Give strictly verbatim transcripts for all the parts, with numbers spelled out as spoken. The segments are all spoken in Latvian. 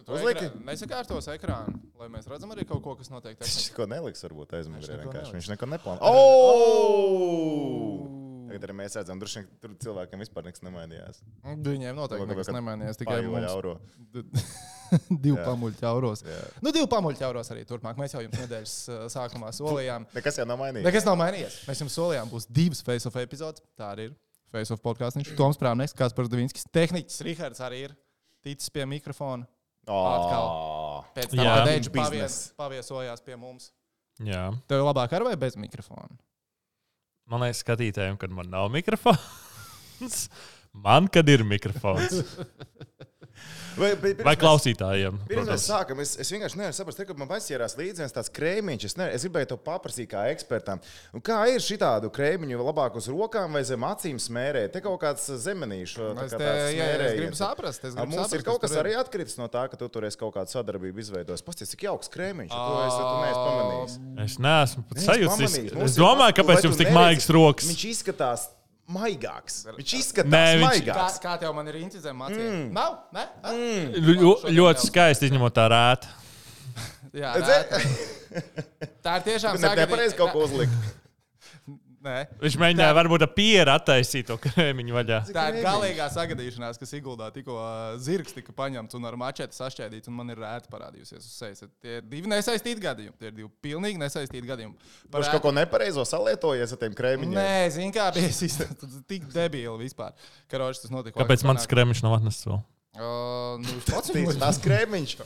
Uzliki? Nesakārtos ekrānu, lai mēs redzam arī kaut ko, kas notiek. Viņš neko neliks, varbūt aizmugurē vienkārši. Viņš neko neplāno. Oh! Tagad arī mēs redzam, droši vien tur cilvēkiem vispār nekas nemainījās. Viņiem noteikti nekas nemainījās, tikai mums. Eiro. Divi pamuļķi euros. Nu, divi pamuļķi euros arī turpmāk. Mēs jau jums nedēļas sākumā solījām. Nekas jau nav mainījies. Nekas nav mainījies. Mēs jums solījām, būs divas face-off epizodes. Tā arī ir. Face-off podcastiņš. Toms Prāvnieks, Kaspars Davinskis. Tehniķis Rihards arī ir ticis pie mikrofona. Atkal. Pēc tam, kad Deidžu pavies, paviesojās pie mums. Jā. Tev labāk ar vai bez mikrofona? Man liekas, skatītājiem, kad man nav mikrofons. Man, kad ir mikrofons. Vai, vai klausītājiem? Pirms mēs sākam, es, es vienkārši nevaru saprast, ka man aizķērās līdzi viens tāds krēmiņš. Es, ne, es gribēju to paprasīt kā ekspertam. Un kā ir šitādu krēmiņu labāk uz rokām vai zem acīm smērēt? Te kaut kāds zemenīšu. Es, te, jā, es gribu saprast. Es gribu mums saprast, ir kaut kas arī atkritis no tā, ka tu tur esi kaut kādu sadarbību izveidojis. Pasties, cik jauks krēmiņš. To es, tu neesi pamanījis. Es neesmu pat sajūtis. Es domāju, kāpēc jums tik maigas rokas. Viņš izskatās maigāks. Viņš izskatās Nē, viņš... maigāks. Kā, kā tev man ir incizēm mācīja? Mm. Nav? Ne? Mm. Ļo, ļoti skaisti izņemot tā rēta. Jā, rēta. Tā ir tiešām sagadīja. Nepareiz kaut ko uzlikt. Nē. Viņš mēģināja tā... varbūt ar pieru attaisīt to krēmiņu vaļā. Tā ir galīgā sagadīšanās, kas Iguldā tikko zirgs tika paņemts un ar mačeti sašķēdīts, un man ir rēta parādījusies uz sejas. Tie ir divi nesaistīti gadījumi. Tie ir divi pilnīgi nesaistīti gadījumi. Par Viņš kaut ko nepareizo salietojies ar tiem krēmiņiem? Nē, zin kā bija tik debīli vispār. Karoči, tas notika. Kāpēc mans krēmiņš nav atnests vēl? Uh, nu, pats tas krēmiņš.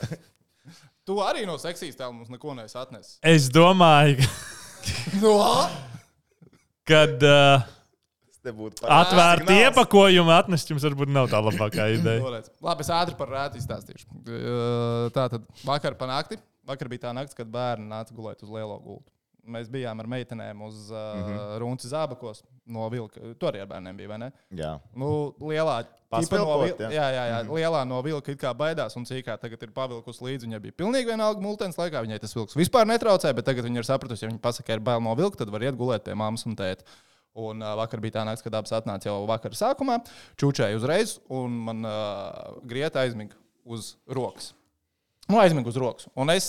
Tu arī no seksīs tēl mums neko neesi atnesis. Es domāju, no? kad uh, atvērti iepakojumi atnest jums varbūt nav tā labākā ideja. Labi, es ātri par rētu izstāstīšu. Tātad vakar pa nakti, vakar bija tā nakts, kad bērni nāca gulēt uz lielo gultu. Mēs bijām ar meitenēm uz uh, mm-hmm. Runci Zābakos no Vilka. Tu arī ar bērniem bija, vai ne? Jā. Nu, lielā, no vil... jā. Jā, jā, jā. Mm-hmm. Lielā no Vilka it kā baidās un cīkā tagad ir pavilkus līdzi. Viņai bija pilnīgi vienalga multens laikā. Viņai tas vilks vispār netraucēja, bet tagad viņa ir sapratusi, ja viņa pasaka, ir bail no Vilka, tad var iet gulēt pie mammas un tēta. Un uh, vakar bija tā nakts, kad abas atnāca jau vakar sākumā. Čučēja uzreiz un man uh, grieta aizmiga uz rokas. Nu, aizmigu uz rokas. Un es,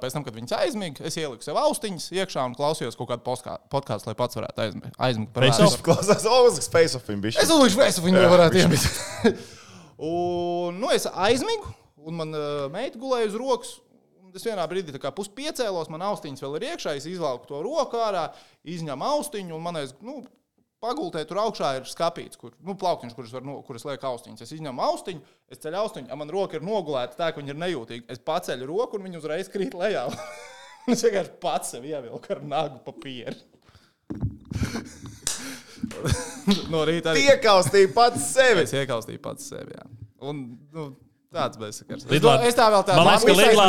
pēc tam, kad viņas aizmigu, es ieliku sev austiņas iekšā un klausījos kaut kādu podkāstu, lai pats varētu aizmigt. aizmigt par Face-off. Klausās, o, uzliks face-off viņa bišķi. Es uzlikšu face-off viņa varētu iemigt. Un, nu, es aizmigu, un man uh, meita gulēja uz rokas. Es vienā brīdī tā kā pus piecēlos, man austiņas vēl ir iekšā, es izvalku to roku ārā, izņem austiņu, un manais, nu, pagultē tur augšā ir skapīts, kur, nu, plauktiņš, kuras, var, no, kuras liek austiņas. Es izņemu austiņu, es ceļu austiņu, ja man roka ir nogulēta tā, ka viņa ir nejūtīga. Es paceļu roku un viņa uzreiz krīt lejā. Es vienkārši pats sev ievilku ar nagu pa pieri. No rīta arī... Iekaustīja pats sevi. Es iekaustīju pats sevi, jā. Un, nu, tāds bezsakars. Lidlā... Es tā vēl tā... Man liekas, ka Lidlā,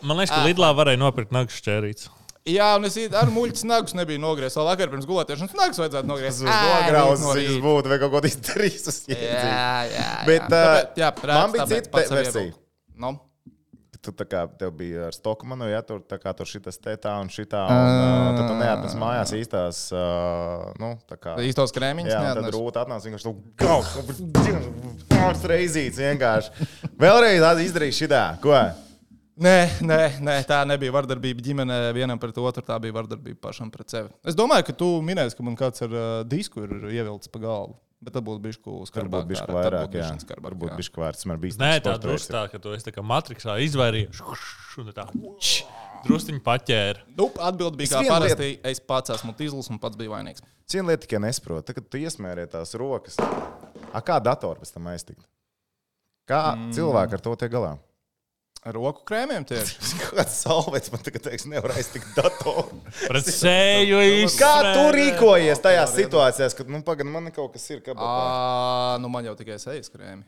man liekas, ka Lidlā varēja nopirkt nagu šķērīts. Jā, un es ar muļķis nagus nebiju nogriezis. Vēl vakar pirms gulētiešanas nagus vajadzētu nogriezt. Tas nograuzis, viņas būtu vai kaut ko izdarījis uz jēdzību. Jā, jā, jā. Bet uh, tāpēc, jā, prāts, man bija cita versija. No? Tu tā kā tev bija ar Stokmanu, ja tur, tā kā tur šitas te tā un šitā, un uh, tad tu neatnes mājās īstās, uh, nu, tā kā... Īstos krēmiņus jā, neatnes. Jā, tad Rūta atnāca vienkārši tu kaut pāris reizīts vienkārši. Vēlreiz izdarīja šitā, ko? Nē, nē, nē, tā nebija vardarbība ģimenē vienam pret otru, tā bija vardarbība pašam pret sevi. Es domāju, ka tu minēsi, ka man kāds ar uh, disku ir ievilcis pa galvu, bet tad būtu bišku skarbāk. Varbūt bišku vairāk, jā. Varbūt bišku vairs, man bija Nē, tā drusku tā, ka tu esi tā kā Matrixā izvairījies, un tā drusciņi paķēra. Nu, atbildi bija kā parasti, es pats esmu tīzlis un pats biju vainīgs. Ciena lieta tikai nesaprot, tad, kad tu iesmērē tās rokas, a, kā datoru pēc tam aiztikt? Kā mm. cilvēki ar to tiek galā? Ar roku krēmiem tieši. Kāds salvets man tagad teiks, nevar aiztikt datoru. Pret sēju īsti. Kā tu rīkojies tajās situācijās, kad, nu, pagad, man kaut kas ir kabatā? Ā, nu, man jau tikai sejas krēmi.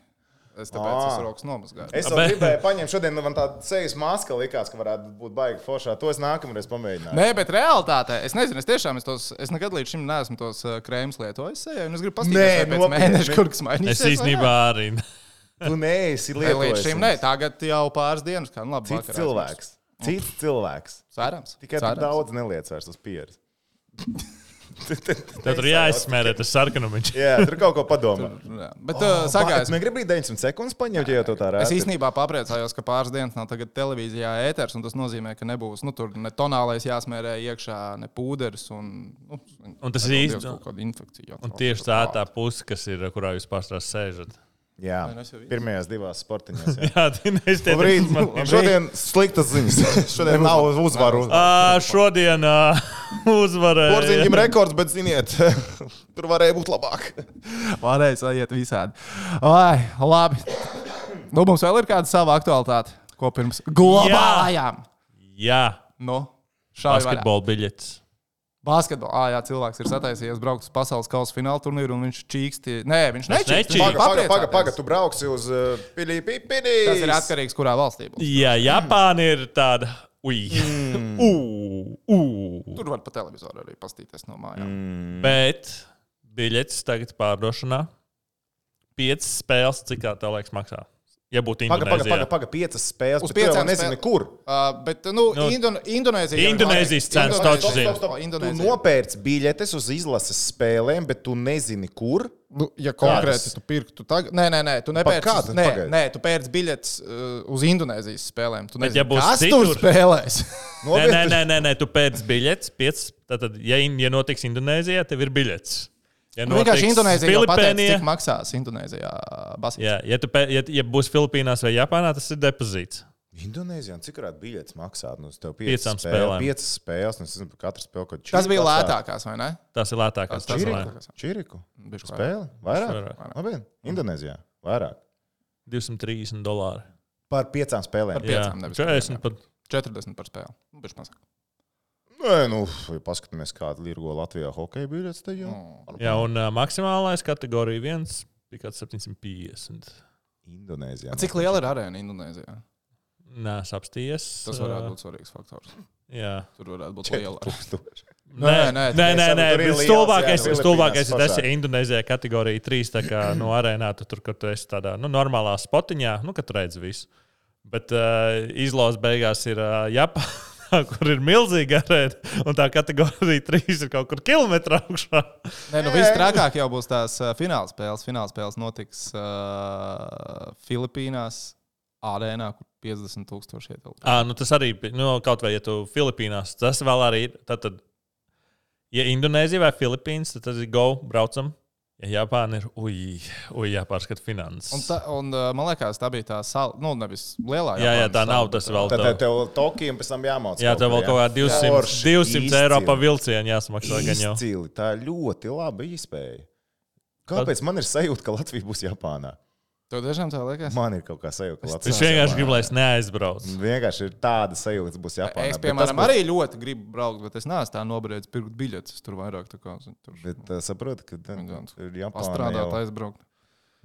Es tāpēc es rokas nomazgāju. Es vēl gribēju paņemt šodien, nu, man tā sejas maska likās, ka varētu būt baigi foršā. To es nākamreiz pamēģināju. Nē, bet realitātē, es nezinu, es tiešām, es, tos, es nekad līdz šim neesmu tos krēmus lietojis sejai, un es gribu pastīties, vai pēc mēneša kaut kas mainīsies. Es īstenībā arī. Tu neesi lietojis. Līdz šim ne, tagad jau pāris dienas, kā nu labi. Cits cilvēks. Cits cilvēks. Sērams. Tikai Sērams. Daudz neliec vairs uz pieres. Tad tur jāizsmērē tas sarkanumiņš. Jā, tur kaut ko padomā. Bet uh, sagājas. Tu negribi deviņdesmit sekundes paņemt, ja jau tā rēta? Es īstenībā papriecājos, ka pāris dienas nav tagad televīzijā ēters, un tas nozīmē, ka nebūs, nu, tur ne tonālais jāsmērē iekšā, ne pūderis, un, nu, un tas ir īsti. Kaut kāda infekcija. Un tieši tā tā puse, kas ir, kurā jūs pārstrās sēžat. Jā, pirmajās divās sportiņās. Jā, jā tā neiztiek. Šodien sliktas ziņas. Šodien nav uzvaru. Uh, šodien uh, uzvarēja. Porziņģim rekords, bet ziniet, tur varēja būt labāk. Varēja sajiet visādi. Ai, labi. Nu, mums vēl ir kāda sava aktualitāte, ko pirms globālajām. Jā. Nu, šādi vaļā. Basketbola biļetes. Basketbolā, ah, jā, cilvēks ir sataisījies braukt uz pasaules kausa fināla turnīru, un viņš čīksti. Nē, viņš nečīksti. Paga, paga, paga, paga, tu brauksi uz uh, Pili, Pili, Pili. Tas ir atkarīgs, kurā valstī būs. Jā, Japāna ir tāda. Ui. Mm. Uh, uh. Tur var pa televizoru arī pastīties no mājām. Mm. Bet biļetes tagad pārdošanā. Piecas spēles, cik tā tev liekas maksā? Ja būtu Indonēzijā. Paga, paga, paga, piecas spēles, uz bet tu jau nezini, spēl... kur. Uh, bet, nu, nu Indon Indonēzija... Indonēzijas cenas taču zina. Tu nopērc biļetes uz izlases spēlēm, bet tu nezini, kur. Nu, ja konkrēti Kādas? Tu pirktu tagad... Nē, nē, nē, tu nepērci... Kāda? Nē, nē, tu pērci biļetes uh, uz Indonēzijas spēlēm. Tu nezini, ja kas citur... tur spēlēs. nē, nē, nē, nē, nē, tu pērci biļetes. Piecas, tātad, ja, ja notiks Indonēzijā, tev ir biļetes. Ja nu, vienkārši Indonēzija jau pateica, cik maksās Indonēzijā basketbols. Jā, ja, tu, ja, ja būs Filipīnās vai Japānā, tas ir depozīts. Indonēzijā, cik varētu biļetes maksāt? Nu, tev piecām spēlēm. Piecas spēles, nu, es nezinu, katra spēle, ko čiriku. Tas bija lētākās, vai ne? Tas ir lētākās. Tas ir lētākās. Čiriku? Spēle? Vairāk? Vairāk. Indonēzijā? Vairāk. divsimt trīsdesmit dolāri. Par piecām spēlēm? Par piecām, nevis četrdesmit par... četrdesmit par spēli. Nu, bišķi mazāk. Nē, nu, ja paskatāmies, kāda Lirgo Latvijā hokeja biļetes, tad jau. Mm. Jā, un uh, maksimālais kategorija viens bija kāds septiņsimt piecdesmit. Indonēzijā. Cik liela ir arēna Indonēzijā? Nē, es apstījies. Tas varētu būt svarīgs faktors. Jā. Tur varētu būt liela. Nē, nē, nē, nē, nē. Stulbākais, stulbākais ir tas, ja Indonēzijā kategorija trīs, tā kā no arēnā, tu tur, kur tu esi tādā, nu, normālā spotiņā, nu, kad tu redzi visu. Bet uh, izlozes beigās ir uh, Japāna. Kur ir milzīga arēna, un tā kategorija trīs ir kaut kur kilometrā augšā. Nē, nu viss trakāk jau būs tās uh, finālspēles. Finālspēles notiks uh, Filipīnās arēnā, kur piecdesmit tūkstoši ietilpst. À, nu tas arī, nu, kaut vai, ja tu Filipīnās, tas vēl arī ir, tad, tad ja Indonēzija vai Filipīnas, tad tas ir go, braucam. Ja Japāna ir, uj, uj jāpārskata finanses. Un, ta, un man liekas, tā bija tā sala, nu, nevis lielā Japānas. Jā, jā, tā nav, tas vēl tā. Tad tev Tokija un pēc tam jāmauc. Jā, tev vēl kaut kā divsimt, divsimt eiro pa vilcienu jāsamaksā gan jau. Izcili, tā ļoti laba iespēja. Kāpēc man ir sajūta, ka Latvija būs Japānā? Tev tiešām tā liekas? Man ir kaut kā sajūta, ka Latvija es vienkārši gribu, lai es neaizbraucu. Vienkārši ir tāda sajūta, ka būs Japānā. Es, piemēram, būs... arī ļoti gribu braukt, bet es neesmu tā nobriedis pirkt biļetes. Tur vairāk tā kā... Tur... Bet uh, saprotu, ka ir Japāna pastrādāt, jau... aizbraukt.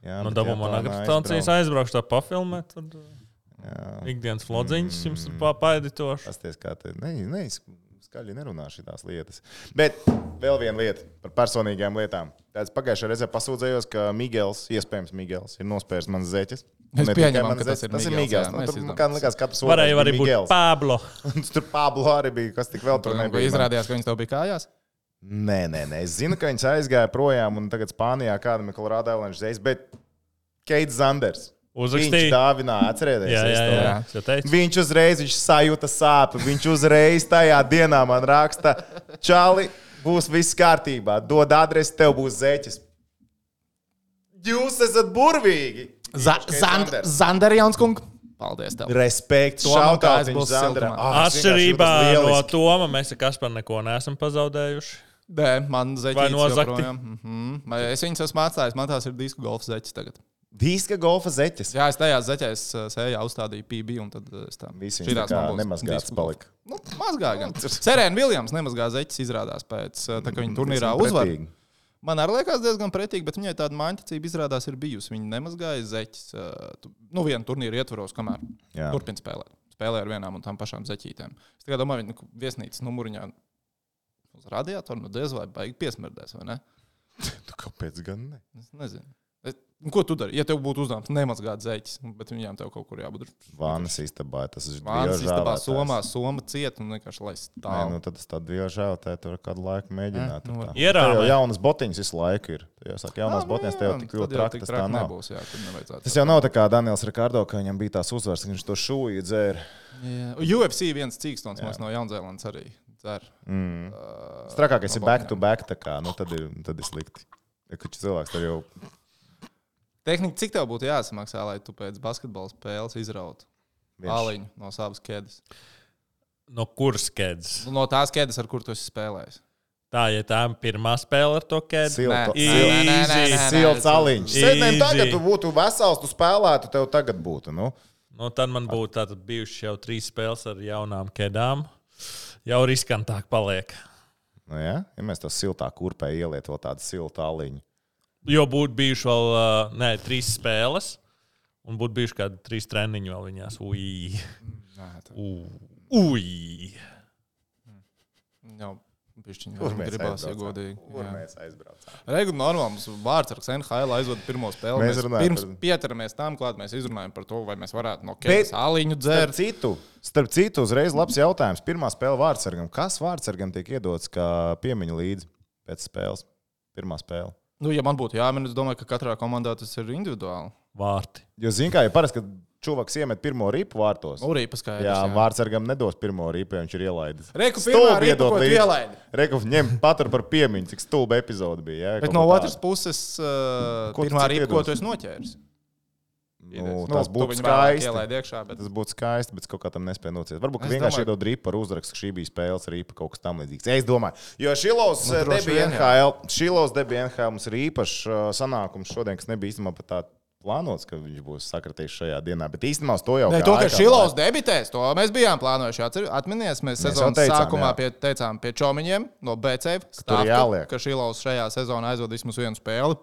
Jā, nu, dabū man akreditācijas aizbraukšu tā pafilmēt, tad ikdienas flodziņas mm. jums ir papaiditoši. Pasties, kā te... Ne, ne, skaļi nerunā šitās lietas. Bet vēl viena lieta par personīgām lietām. Tāds pagājušajā reizē pasūdzējos, ka Migels, iespējams Migels, ir nospērs manas zeķes. Es pieņemam, ka tas ir tas Migels. Ir Migels. Tur, kā likās, katrs varēja arī būt Pablo. Tur Pablo arī bija, kas tik vēl tur nebija. Izrādījās, ka viņš tev bija kājās? Nē, nē, nē. Es zinu, ka viņš aizgāja projām un tagad Spānijā kādam ir Colorado Avalanche zeķes, bet Keits Zanders. Uzrakstīja. Viņš dāvināja, atcerieties. Jā, jā, jā. jā. Viņš uzreiz, viņš sajūta sāpes. Viņš uzreiz tajā dienā man raksta, Čali, būs viss kārtībā. Dod adresi, tev būs zeķes. Jūs esat burvīgi. Zander Jaunskung. Paldies tev. Respekt. Šautāt viņš Zanderam. Atšķirībā no Toma, mēs ar Kasparu neko neesam pazaudējuši. Nē, man zeķītes joprojām. Mm-hmm. Es viņus esmu atstājis, man tās ir disku golfa zeķes tagad. Diska golfa zeķes. Jā, es tajās zeķēs sējā uzstādīju P B un tad es tā. Visi viņš tā kā nemazgāts palika. Nu, mazgāja gan. Serena Viljams nemazgā zeķes izrādās pēc, tā kā viņa turnīrā uzvar. Man arī liekas diezgan pretīgi, bet viņai tāda māņķacība izrādās ir bijusi. Viņa nemazgāja zeķes, nu, vienu turnīru ietvaros, kamēr Jā. turpina spēlēt. Spēlē ar vienām un tām pašām zeķītēm. Es tikai domāju, viņa viesnīcas numuriņā uz radiatoru, nu, diez vai baigi piesmerdēs, vai ne? Tu kāpēc gan ne? Es nezinu. Es, Ko tu dari? Ja tev būtu uzdevums nemazgāt zeķis, bet viņām tev kaut kur jābūt. Vānas istabā, tas ir Vānas istabā, Somā, Soma ciet un vienkārši lai stāv. Nē, nu tad tas tādu dievu žēlotē, tur kādu laiku mēģināt. Nu, Ierāmē. Jau jaunas botiņas visu laiku ir. Ja saka, jaunās botiņas tev tik ļoti traki, tas tā nav. Nebūs, jā, tas jau nav tā kā Daniels Rikardo, ka viņam bija tās uzvaras, ka viņš to šūju dzēra. U F C viens cīkstons mums no Jaunzēlandes arī dzer. Mm. Uh, Strakākais ir back to back, tā kā, nu tad ir, tad ir slikti. Ja kači cilvēks tad jau... Tehnika, cik tev būtu jāsamaksā, lai tu pēc basketbola spēles izrautu āliņu no savas ķēdes? No kuras ķēdes? No tās ķēdes, ar kur tu esi spēlējis. Tā, ja tā ir pirmā spēle ar to ķēdi. Silts āliņš. Sēdnēm tagad tu būtu vesels, tu spēlētu, tev tagad būtu, nu. Nu, tad man būtu tātad bijuši jau trīs spēles ar jaunām ķēdām. Jau riskantāk paliek. Nu jā, ja mēs to siltā kurpē ieliet vēl tādu siltu āliņu. Jo būtu bijuši vēl, nē, trīs spēles, un būtu bijuši kādi trīs treniņi vēl viņās. Ui. Ui. Jā, bišķiņi. Kur mēs gribās, ja godīgi. Kur mēs aizbraucām? Regu normāli mums vārdsargs N H L aizvada pirmo spēli. Mēs, mēs pirms par... pieturamies tam klāt, mēs izrunājam par to, vai mēs varētu no ķēdes āliņu dzērt. Starp citu, starp citu, uzreiz labs jautājums. Pirmā spēle vārdsargam. Kas vārdsargam tiek iedots kā piemiņa līdzi pēc spēles? Pirmā spēle. Nu, ja man būtu jāmin, es domāju, ka katrā komandā tas ir individuāli. Vārti. Jo, zin kā, ja parasti, kad čuvaks iemet pirmo ripu vārtos. Nu, ripa skaidrs, jā, jā. Vārdsargam nedos pirmo ripu, ja viņš ir ielaidis. Reku pirmā ripa, ko tu ielaidi. Reku ņem patur par piemiņu, cik stulba epizode bija. Jā, bet no otras puses, uh, pirmā ripa, ko tu esi noķēris. Nu, tas nu, būtu skaisti. Iekšā, bet... Tas būtu skaisti, bet kaut kā tam nespēja nociet. Varbūt, ka vienkārši domāju... iedod ripu ar uzrakstu, ka šī bija spēles ripa, kaut kas tam līdzīgs. Es domāju, jo Šilovs nu, debija N H L, Šilovs debija N H L mums ir īpašs sanākums šodien, kas nebija īstenībā pat tā plānots, ka viņš būs sakritīgs šajā dienā. Bet īstenībā uz to jau... Ne, to, ka Šilovs debitēs, to mēs bijām plānojuši. Atminies, mēs, mēs sezonas teicām, sākumā pie, teicām pie Čomiņiem no B C F, stāvka, ka Šilovs šajā sezonā aizvada vismaz vienu spēli.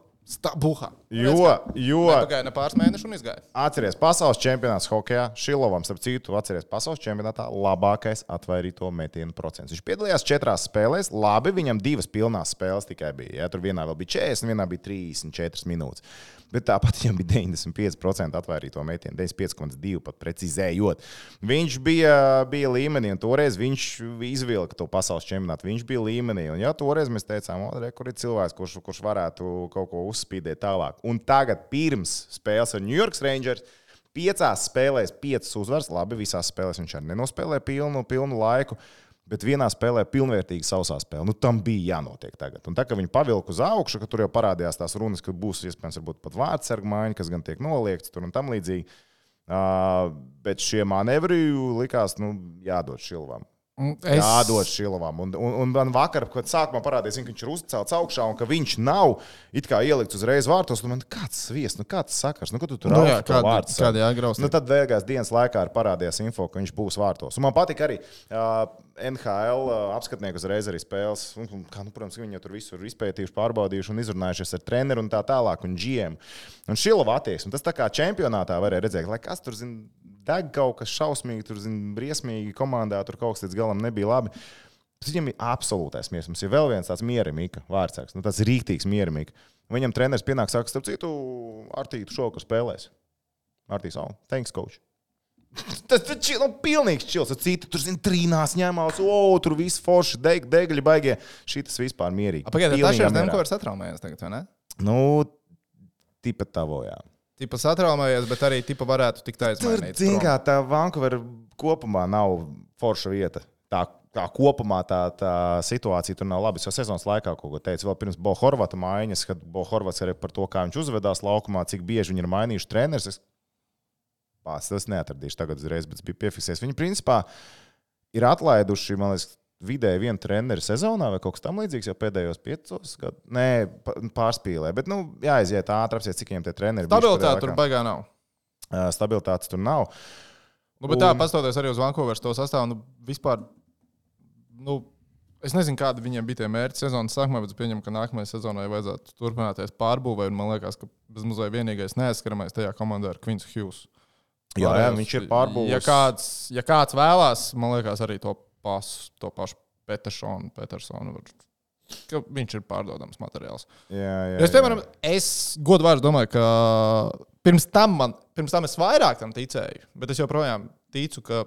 Buhā. Jo, jo nepagāja ne pāris mēneši un izgāja. Atceries pasaules čempionāts hokejā. Šilovam, starp citu, atceries pasaules čempionātā labākais atvairīto metienu procents. Viņš piedalījās četrās spēlēs. Labi, viņam divas pilnās spēles tikai bija. Ja? Tur vienā vēl bija četrdesmit, vienā bija trīsdesmit četras minūtes. Bet tāpat viņam bija deviņdesmit pieci procenti atvairīto metienu, deviņdesmit pieci komats divi pat precizējot. Viņš bija, bija līmenī, un toreiz viņš izvilka to pasaules čempionātu. Viņš bija līmenī, un jā, toreiz mēs teicām, o, re, kur ir cilvēks, kurš, kurš varētu kaut ko uzspīdēt tālāk. Un tagad pirms spēles ar New York Rangers piecās spēlēs piecas uzvaras. Labi, visās spēlēs viņš arī nenospēlē pilnu, pilnu laiku. Bet vienā spēlē pilnvērtīgi sausā spēle. Nu, tam bija jānotiek tagad. Un tā, ka viņi pavilka uz augšu, ka tur jau parādījās tās runas, ka būs iespējams varbūt pat vārdsargu maiņa, kas gan tiek noliegts tur un tam līdzīgi. Uh, bet šie manevri likās, nu, jādod Šilovam. Es... Jādod Šilovam. Un, un, un man vakar, kad sākumā parādījās, ka viņš ir uzcelts augšā un ka viņš nav it kā ielikts uzreiz vārtos, nu man kāds sviest, nu kāds sakars, nu ko tu tur nu, rauti to vārtu? Kādi jāgraust? Nu tad vēlgās dienas laikā ir parādījās info, ka viņš būs vārtos. Un man patika arī uh, N H L uh, apskatnieki uzreiz arī spēles. Un, un, kā, nu, protams, viņi jau tur visur izpētījuši, pārbaudījuši un izrunājušies ar treneru un tā tālāk un G M. Un Šilova attieksme. Tas tā kā čempionātā varēja redzēt, lai kas tur zina, deg kaut kas šausmīgi, tur zina, briesmīgi komandā, tur kaut kas līdz galam nebija labi. Tas viņam ir absolūtais miers. Mums ir vēl viens tāds mierimīka vārdsargs, nu tāds rīktīgs mierimīka. Viņam treneris pienāk, saka, starp citu, Artī, tu šovakar spēlēs. Artī, savu, thanks, coach. Tas ir nu, pilnīgs čils. Citi tur, zina, trīnās ņemās, o, tur viss forši, deg, degļi baigie. Šitas vispār mierīgi. Pagaidā, tā šeit Demko ir satraumējies tagad, vai ne? Nu, tipa tavo, jā. Tipa satraumējies, bet arī tipa varētu tikt aizmainīt. Tur, zin kā, tā Vancouver kopumā nav forša vieta. Tā, tā kopumā tā, tā situācija tur nav labi. Es jau sezonas laikā kaut ko teicu, vēl pirms Bo Horvata maiņas, kad Bo Horvats arī par to, kā viņš uzvedās laukumā, cik bieži viņi ir mainījuši treneris. Es pats tas neatradīšu tagad uzreiz, bet es biju piefiksējis. Viņi principā ir atlaiduši, man liekas, vidēji vienu treneri sezonā vai kaut kas tam līdzīgs jau pēdējos piecos gadus. Nē, pārspīlē, bet, nu, jāiziet ātri, apsiet, cik viņiem tie treneri. Stabilitāte tur baigā nav. Uh, stabilitātes tur nav. Nu, bet un... tā, pastoties arī uz Vancouveras to sastāvu, nu, vispār, nu, es nezinu, kādi viņiem bija tie mērķi sezonas sākumā, bet es pieņemu, ka nākamajai sezonai vajadzētu turpināties pārbūvē, un man liekas, ka bez mazliet vienīgais neaizskaramais tajā komandā ir Quincy Hughes. Jā, jā, viņš ir pārbūvis. Ja kāds, ja kāds vēlās, man liekas, arī to pasu, to pašu Petersonu, Petersonu var ka viņš ir pārdodams materiāls. Jā, jā, es, piemēram, es godvārds domāju, ka pirms tam, man, pirms tam es vairāk tam ticēju, bet es joprojām ticu, ka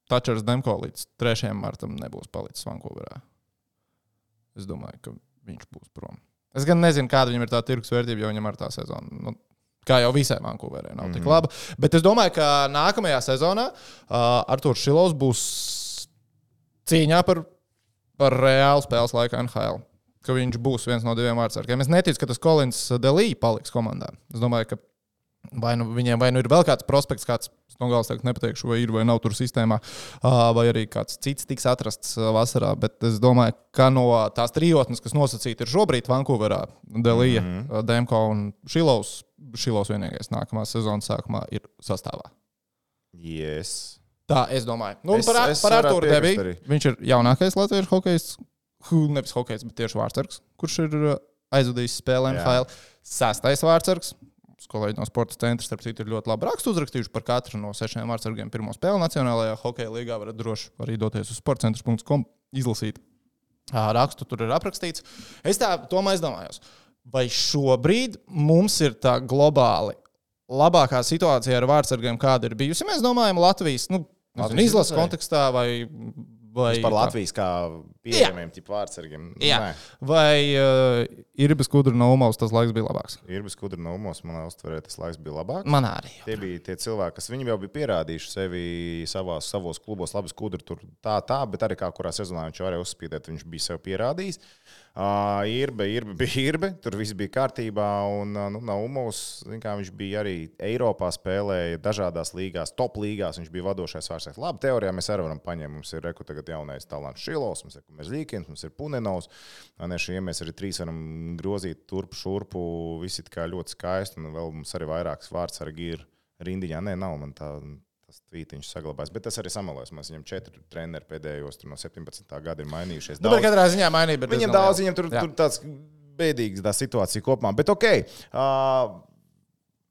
Tačers Demko līdz trešajam martam nebūs palicis Vankūverā. Es domāju, ka viņš būs prom. Es gan nezinu, kāda viņam ir tā tirgus vērtība, jo viņam ar tā sezona, nu, kā jau visai Vankūverē, nav tik laba. Bet es domāju, ka nākamajā sezonā uh, Arturs Šilovs būs cīņā par, par reālu spēles laiku N H L. Ka viņš būs viens no diviem vārdsargiem. Es neticu, ka tas Kolins Delī paliks komandā. Es domāju, ka vai nu viņiem vai nu ir vēl kāds prospekts, kāds no galas tagad nepateikšu, vai ir vai nav tur sistēmā, vai arī kāds cits tiks atrasts vasarā. Bet es domāju, ka no tās trijotnes, kas nosacīti ir šobrīd Vankūverā, Delija, mm-hmm. Demko un Šilovs, Šilovs vienīgais nākamā sezonas sākumā ir sastāvā. Yes. Tā, es domāju. Nu, es, par es par Arturu Debī. Arī. Viņš ir jaunākais latviešu hokejs, nevis hokejs, bet tieši vārdsargs, kurš ir aizvadījis spēli N H L. Sastais vārdsargs. Kolēģi no sporta centra, starp citu, ir ļoti labi rakstu uzrakstījuši par katru no sešiem vārdsargiem pirmo spēli Nacionālajā hokeja līgā. Varat droši arī doties uz sportcentrs punkts com, izlasīt rakstu, tur ir aprakstīts. Es tā tomēr aizdomājos, vai šobrīd mums ir tā globāli labākā situācija ar vārdsargiem, kāda ir bijusi. Mēs domājam Latvijas, nu, Latvijas izlases kontekstā vai... Vai par Latvijas kā pieejamiem tipu vārdsargiem. Jā. Nē. Vai uh, Irbis Kudra no Umaus tas laiks bija labāks? Irbis Kudra no Umaus, manā uztverē, tas laiks bija labāks. Man arī. Tie bija tie cilvēki, kas viņam jau bija pierādījuši sevi savās, savos klubos. Labas Kudra tur tā, tā, bet arī kā kurā sezonā viņš varēja uzspīdēt, viņš bija sev pierādījis. Uh, Irbe, Irbe bija Irbe, tur viss bija kārtībā, un uh, nu, no Umaus, kā viņš bija arī Eiropā spēlēja dažādās līgās, top līgās, viņš bija vadošais vārdsargs. Labi, teorijā mēs arī varam paņemt, mums ir reku tagad jaunais talants Šilovs, mums ir Merzlīkins, mums ir Punenovs, un šie mēs arī trīs varam grozīt turpu, šurpu, visi tā kā ļoti skaisti, un vēl mums arī vairākas vārdsargi ir rindiņā. Nē, nav man tā... Tas tvītiņš saglabājas, bet tas arī samalojās. Mēs viņam četri treneri pēdējos no septiņpadsmitā gada ir mainījušies. Nu, bet katrā ziņā mainīja. Viņam daudz, viņam tur, tur tāds bēdīgs tā situācija kopumā. Bet ok, uh,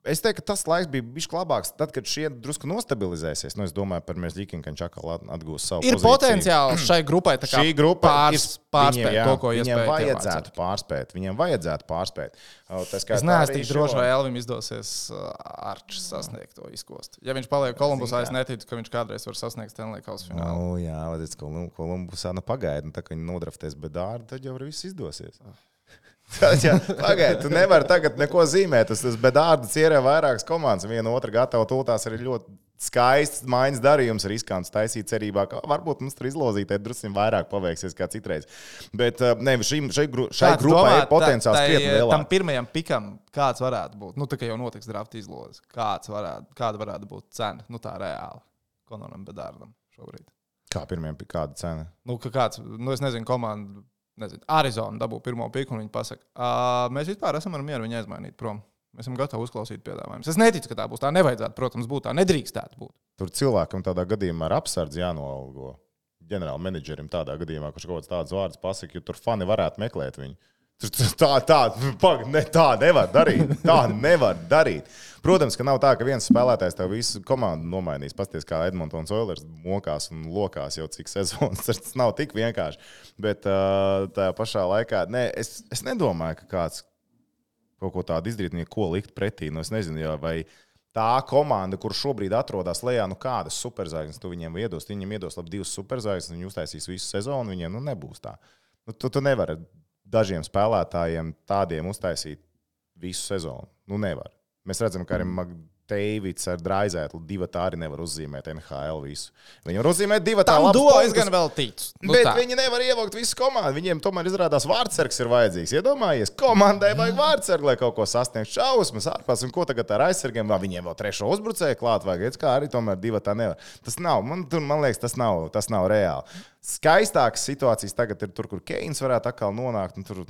es teiktu, ka tas laiks bija bišķi labāks. Tad, kad šie drusku nostabilizēsies, nu es domāju par Merzlīkinu, ka viņš atkal atgūs savu ir pozīciju. Ir potenciāls šai grupai tā kā šī grupa pārs, pārspēt viņiem, jā, to, ko iespēja. Viņiem vajadzētu pārspēt. Viņiem vajadzētu pārspēt. Es neesmu tik droši, vai Elvim izdosies Arčs sasniegt to izkostu. Ja viņš paliek Kolumbusā, es neticu, ka viņš kādreiz var sasniegt Stanley Kausa finālu. Nu, jā, līdz Kolumbusā nu pagaidi, tā kā viņi nodraftēs bedārdu, tad jau var viss izdosies. Pagaidiet, tu nevari tagad neko zīmēt. Tas, tas bedārds ierē vairākas komandas. Viena otra gatava tūltās arī ļoti skaists maiņas darījums, riskants taisīt cerībā, ka varbūt mums tur izlozītē drusku vairāk paveiksies kā citreiz. Bet ne, šim, šai, gru, šai grupai domā, ir potenciāls krietni lielāks. Tam pirmajam pikam kāds varētu būt? Nu, tā kā jau notiks drafta izlozes. Kāds varētu, kāda varētu būt cena? Nu, tā reāli. Konoram bedārdam šobrīd. Kā pirmajam pikam kāda cena? Nu, ka kāds, nu, es nezinu, komanda... Nezinu, Arizona dabū pirmo piku, un viņi pasaka, uh, mēs vispār esam ar mieru viņu aizmainīt prom. Mēs esam gatavi uzklausīt piedāvājumus. Es neticu, ka tā būs. Tā nevajadzētu, protams, būt. Tā nedrīkstētu būt. Tur cilvēkam tādā gadījumā ar apsardzi jānoalgo. Ģenerāla menedžerim tādā gadījumā, kurš kaut kāds tāds vārds pasaka, jo tur fani varētu meklēt viņu. Tā, tā, pag, ne, tā nevar darīt. Tā nevar darīt. Protams, ka nav tā, ka viens spēlētājs tev visu komandu nomainīs. Pasties, kā Edmontons Oilers mokās un lokās jau cik sezonas. Tas nav tik vienkārši. Bet tā pašā laikā, ne, es, es nedomāju, ka kāds kaut ko tādu izdarīt, ko likt pretī. Nu, es nezinu, jā, vai tā komanda, kur šobrīd atrodas lejā, nu kādas superzvaigznes tu viņiem iedos. Viņiem iedos labi divas superzvaigznes, viņi uztaisīs visu sezonu, viņiem nu nebūs tā. Nu, tu, tu nevari dažiem spēlētājiem tādiem uztaisīt visu sezonu. Nu nevar. Mēs redzam, ka arī Makdeivids ar Draizētlu divatā arī nevar uzzīmēt N H L visu. Viņi var uzzīmēt divatā labus punktus. Es gan vēl ticu. Nu, bet tā. Viņi nevar ievākt visu komandu. Viņiem tomēr izrādās vārdsargs ir vajadzīgs. Iedomājies, komandai vajag vārdsargu, lai kaut ko sasniegtu šausmas ārpus. Un ko tagad ar aizsargiem? Vai viņiem vēl trešo uzbrucēju klāt vajag? Redz, kā arī tomēr divatā nevar. Tas nav. Man, tur, man liekas, tas nav, tas nav reāli. Skaistākas situācijas tagad ir tur, kur Keins varētu atkal nonākt. Tur,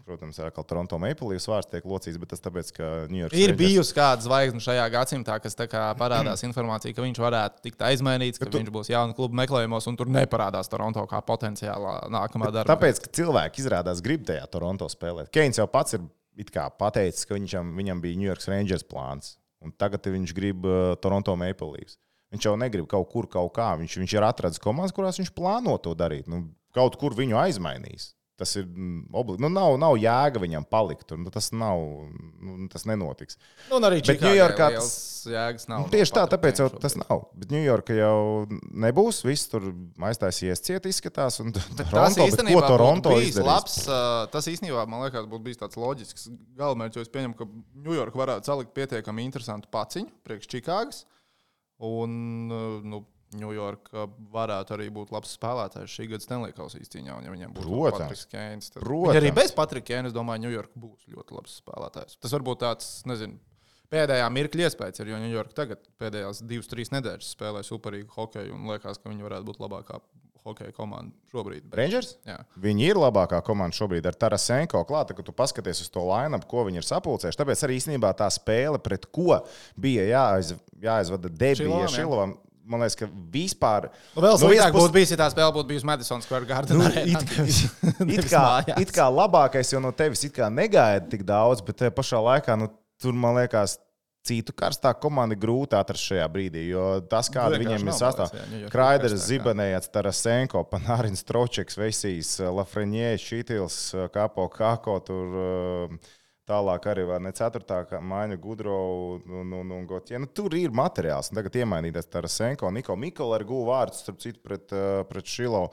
protams, atkal Toronto Maple Leafs vārds tiek locīts, bet tas tāpēc, ka New York ir bijusi kāda zvaigzne šajā gadsimtā, kas tā kā parādās informācija, ka viņš varētu tikt aizmainīts, ka tu... viņš būs jauna kluba meklējumos, un tur neparādās Toronto kā potenciālā nākamā darba. Tāpēc, ka cilvēki izrādās grib tajā Toronto spēlēt. Keins jau pats ir it kā pateicis, ka viņam, viņam bija New York Rangers plāns, un tagad viņš grib uh, Toronto Maple Leafs. Viņš jau negrib kaut kur, kaut kā. Viņš, viņš ir atradzis komandas, kurās viņš plāno to darīt. Nu, kaut kur viņu aizmainīs. Tas ir obligāti. Nu, nav, nav jēga viņam palikt. Nu, tas nav, nu, tas nenotiks. Nu, un arī Čikāgā tas jēgas nav. Tieši tā, tāpēc jau tas nav. Bet Ņujorka jau nebūs. Viss tur aiztaisies ciet izskatās. Un tas īstenībā būtu bijis labs. Tas īstenībā, man liekas, būtu bijis tāds loģisks galamērķis, jo es pieņemu, ka Ņujorka varētu salikt pietiekami interesantu paciņu priekš Čikāgas. Un, nu, Ņujorka varētu arī būt labs spēlētājs šī gada Stanley Kausa izcīņā, un ja viņam būtu Patriks Keins, tad viņi arī bez Patrika Keina, es domāju, Ņujorka būs ļoti labs spēlētājs. Tas varbūt tāds, nezinu, pēdējā mirkļa iespējas ir, jo Ņujorka tagad pēdējās divas, trīs nedēļas spēlē superīgu hokeju, un liekas, ka viņi varētu būt labākā hokeja komanda šobrīd. Bet... Rangers? Jā. Viņi ir labākā komanda šobrīd ar Tarasenko klāta, ka tu paskaties uz to line-up, ko viņi ir sapulcējuši. Tāpēc arī īstenībā tā spēle, pret ko bija jāaiz, jāaizvada debija Šilovam. Man liekas, ka vispār... Nu, vēl sliktāk būtu bijis, ja tā spēle būtu bijusi Madison Square Garden. Nu, it, it, kā, it kā labākais jau no tevis it kā negaida tik daudz, bet pašā laikā, nu, tur, man liekas, citu karstā komanda grūti atrast šajā brīdī, jo tas, kāda viņiem ir sastāv. Kraiders, Zibanējats, Tarasenko, Panārins, Tročeks, Vesijs, Lafreniē, Šitils, Kapo, Kako, tur... Tālāk arī var ne ceturtā maiņa Gudrovu un, un, un Gotje. Nu, tur ir materiāls. Tagad iemainīties Tarasenko, Niko Mikola ar gūvu vārdus, starp citu, pret, pret Šilovu.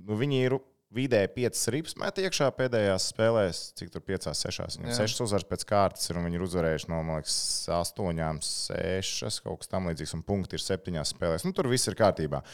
Nu, viņi ir vidēji piecas rips met iekšā pēdējās spēlēs, cik tur piecās, sešās. Viņam sešas uzvaras pēc kārtas ir, un viņi ir uzvarējuši no, man liekas, astoņām, sešas, kaut kas tam līdzīgs, un punkti ir septiņās spēlēs. Nu, tur viss ir kārtībā.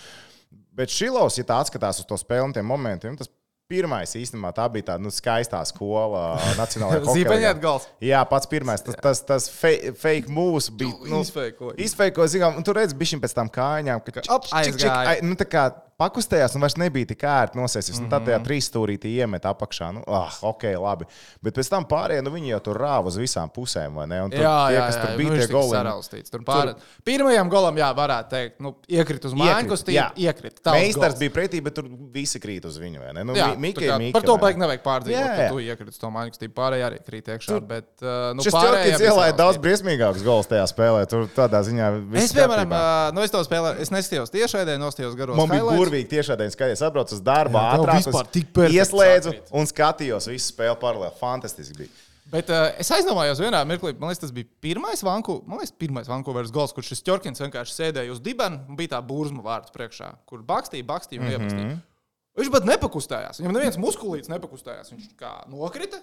Bet Šilovs, ja tā atskatās uz to spēli un tiem momentiem, tas pirmais īstenībā tā bija tāda nu, skaistā skola nacionālajā hokeja. Zipaņēt gals. Jā, pats pirmais. Tas, tas, tas fake, fake moves bija. Nu, izfeikoja. Izfeikoja, zinām, un tu redzi bišķiņ pēc tām kājām, ka čik, čik, čik, ai, nu tā kā pakustējās un vairs nebija tik ērti nosēsies. Mm -hmm. Tad tajā trīsstūrītī iemet apakšā. Nu, ah, ok, labi. Bet pēc tam pārējie, nu viņi jau tur rāva uz visām pusēm, vai ne? Un tur jā, tie, jā, kas jā, tur jā, bija tie goli. Tur pār... tur... Pirmajam golam, jā, varētu teikt, nu, iekrit uz mājkustību, iekrit. Meistars bija pretī, bet tur visi krīt uz viņu, vai ne? Nu, jā, Mika, kā, Mika, par to baigi nevajag pārdzīvot, ka tu iekrit uz to mājkustību. Pārējie arī krīt iekšā, tur... bet, uh, nu, šis Ķorkins ielāja daudz briesmīgākus gols tajā spēlē. Tur tādā ziņā viss es, piemēram, uh, nu, es to spēlē, es neskatījos tiešraidē, nostījos garos highlights. Man bija burvīgi tiešraidē skatīties. Es atbraucu uz darbu, ātrāk, ieslēdzu un skatījos visu spēli paralēli. Fantastiski bija. Bet uh, es aizdomājos vienā mirklī, man liekas, tas bija pirmais Vanku, man liekas, pirmais Vankūveras gols, kur šis Ķorkins vienkārši sēdēja uz dibena un bija tā burzma vārds priekšā, kur bakstīja, bakstīja un iepastīja. Mm -hmm. Viņš pat nepakustējās. Viņam neviens muskulīts nepakustējās. Viņš kā nokrita,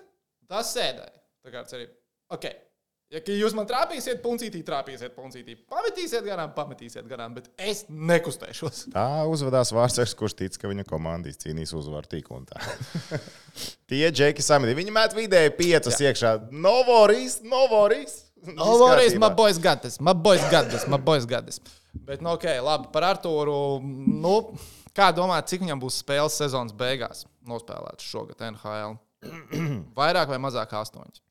tas sēdēja. Tā kā cerība. Ok. Ja jūs man trāpīsiet, puncītī, trāpīsiet, puncītī, pametīsiet garām, pametīsiet garām, bet es nekustēšos. Tā uzvedās Vārtsargs, kurš tic, ka viņa komandīs cīnīs uzvaru tik un tā. Tie džeki samitī. Viņi met vidēji piecus Jā. iekšā. Novoris, Novoris. Novoris, my boys got this, my boys got this, my boys got this. Bet, nu, ok, labi, par Artūru, nu, kā domāt, cik viņam būs spēles sezonas beigās nospēlēts šogad N H L? Vairāk vai mazāk astoņas?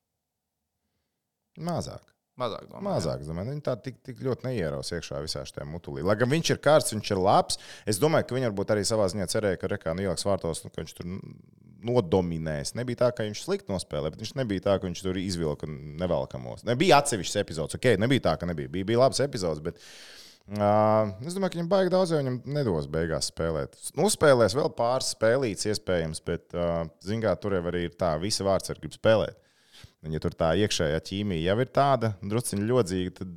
Mazāk. Mazāk, domāju. Mazāk, domāju. Viņi tā tik, tik ļoti neieraus iekšā visā šajā mutulī. Lai gan viņš ir kārts, viņš ir labs, es domāju, ka viņi varbūt arī savā ziņā cerēja, ka Rekā ieliks vārtos, nu, ka viņš tur nodominēs. Nebija tā, ka viņš slikti nospēlē, bet viņš nebija tā, ka viņš tur izvilka nevelkamos. Nebija atsevišķs epizods, ok, nebija tā, ka nebija. Bija, bija labs epizods, bet uh, es domāju, ka viņam baigi daudz, jo viņam nedos beigās spēlēt. Uzspēlēs vēl pāris spēlītes iespējams, bet, uh, zingā, tur jau arī ir tā, visi vārtsargi grib spēlēt. Un, ja tur tā iekšējā ķīmija jau ir tāda, drusciņi ļodzīga, tad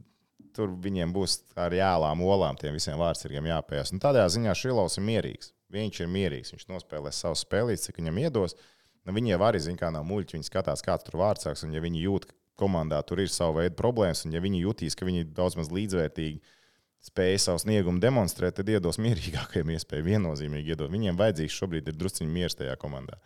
tur viņiem būs ar jālām olām tiem visiem vārdsargiem jāpējas. Un tādā ziņā Šilovs ir mierīgs. Viņš ir mierīgs. Viņš nospēlēs savus spēlītes, cik viņam iedos. Nu, viņi jau arī zina, kā nav muļķi. Viņi skatās, kāds tur vārdsargs. Un ja viņi jūt, ka komandā tur ir savu veidu problēmas, un ja viņi jutīs, ka viņi daudz maz līdzvērtīgi spēja savu sniegumu demonstrēt, tad iedos mierīgākajiem iespēju. Viennozīmīgi iedod. Viņiem vajadzīgs šobrīd ir drusciņi miers tajā komandā.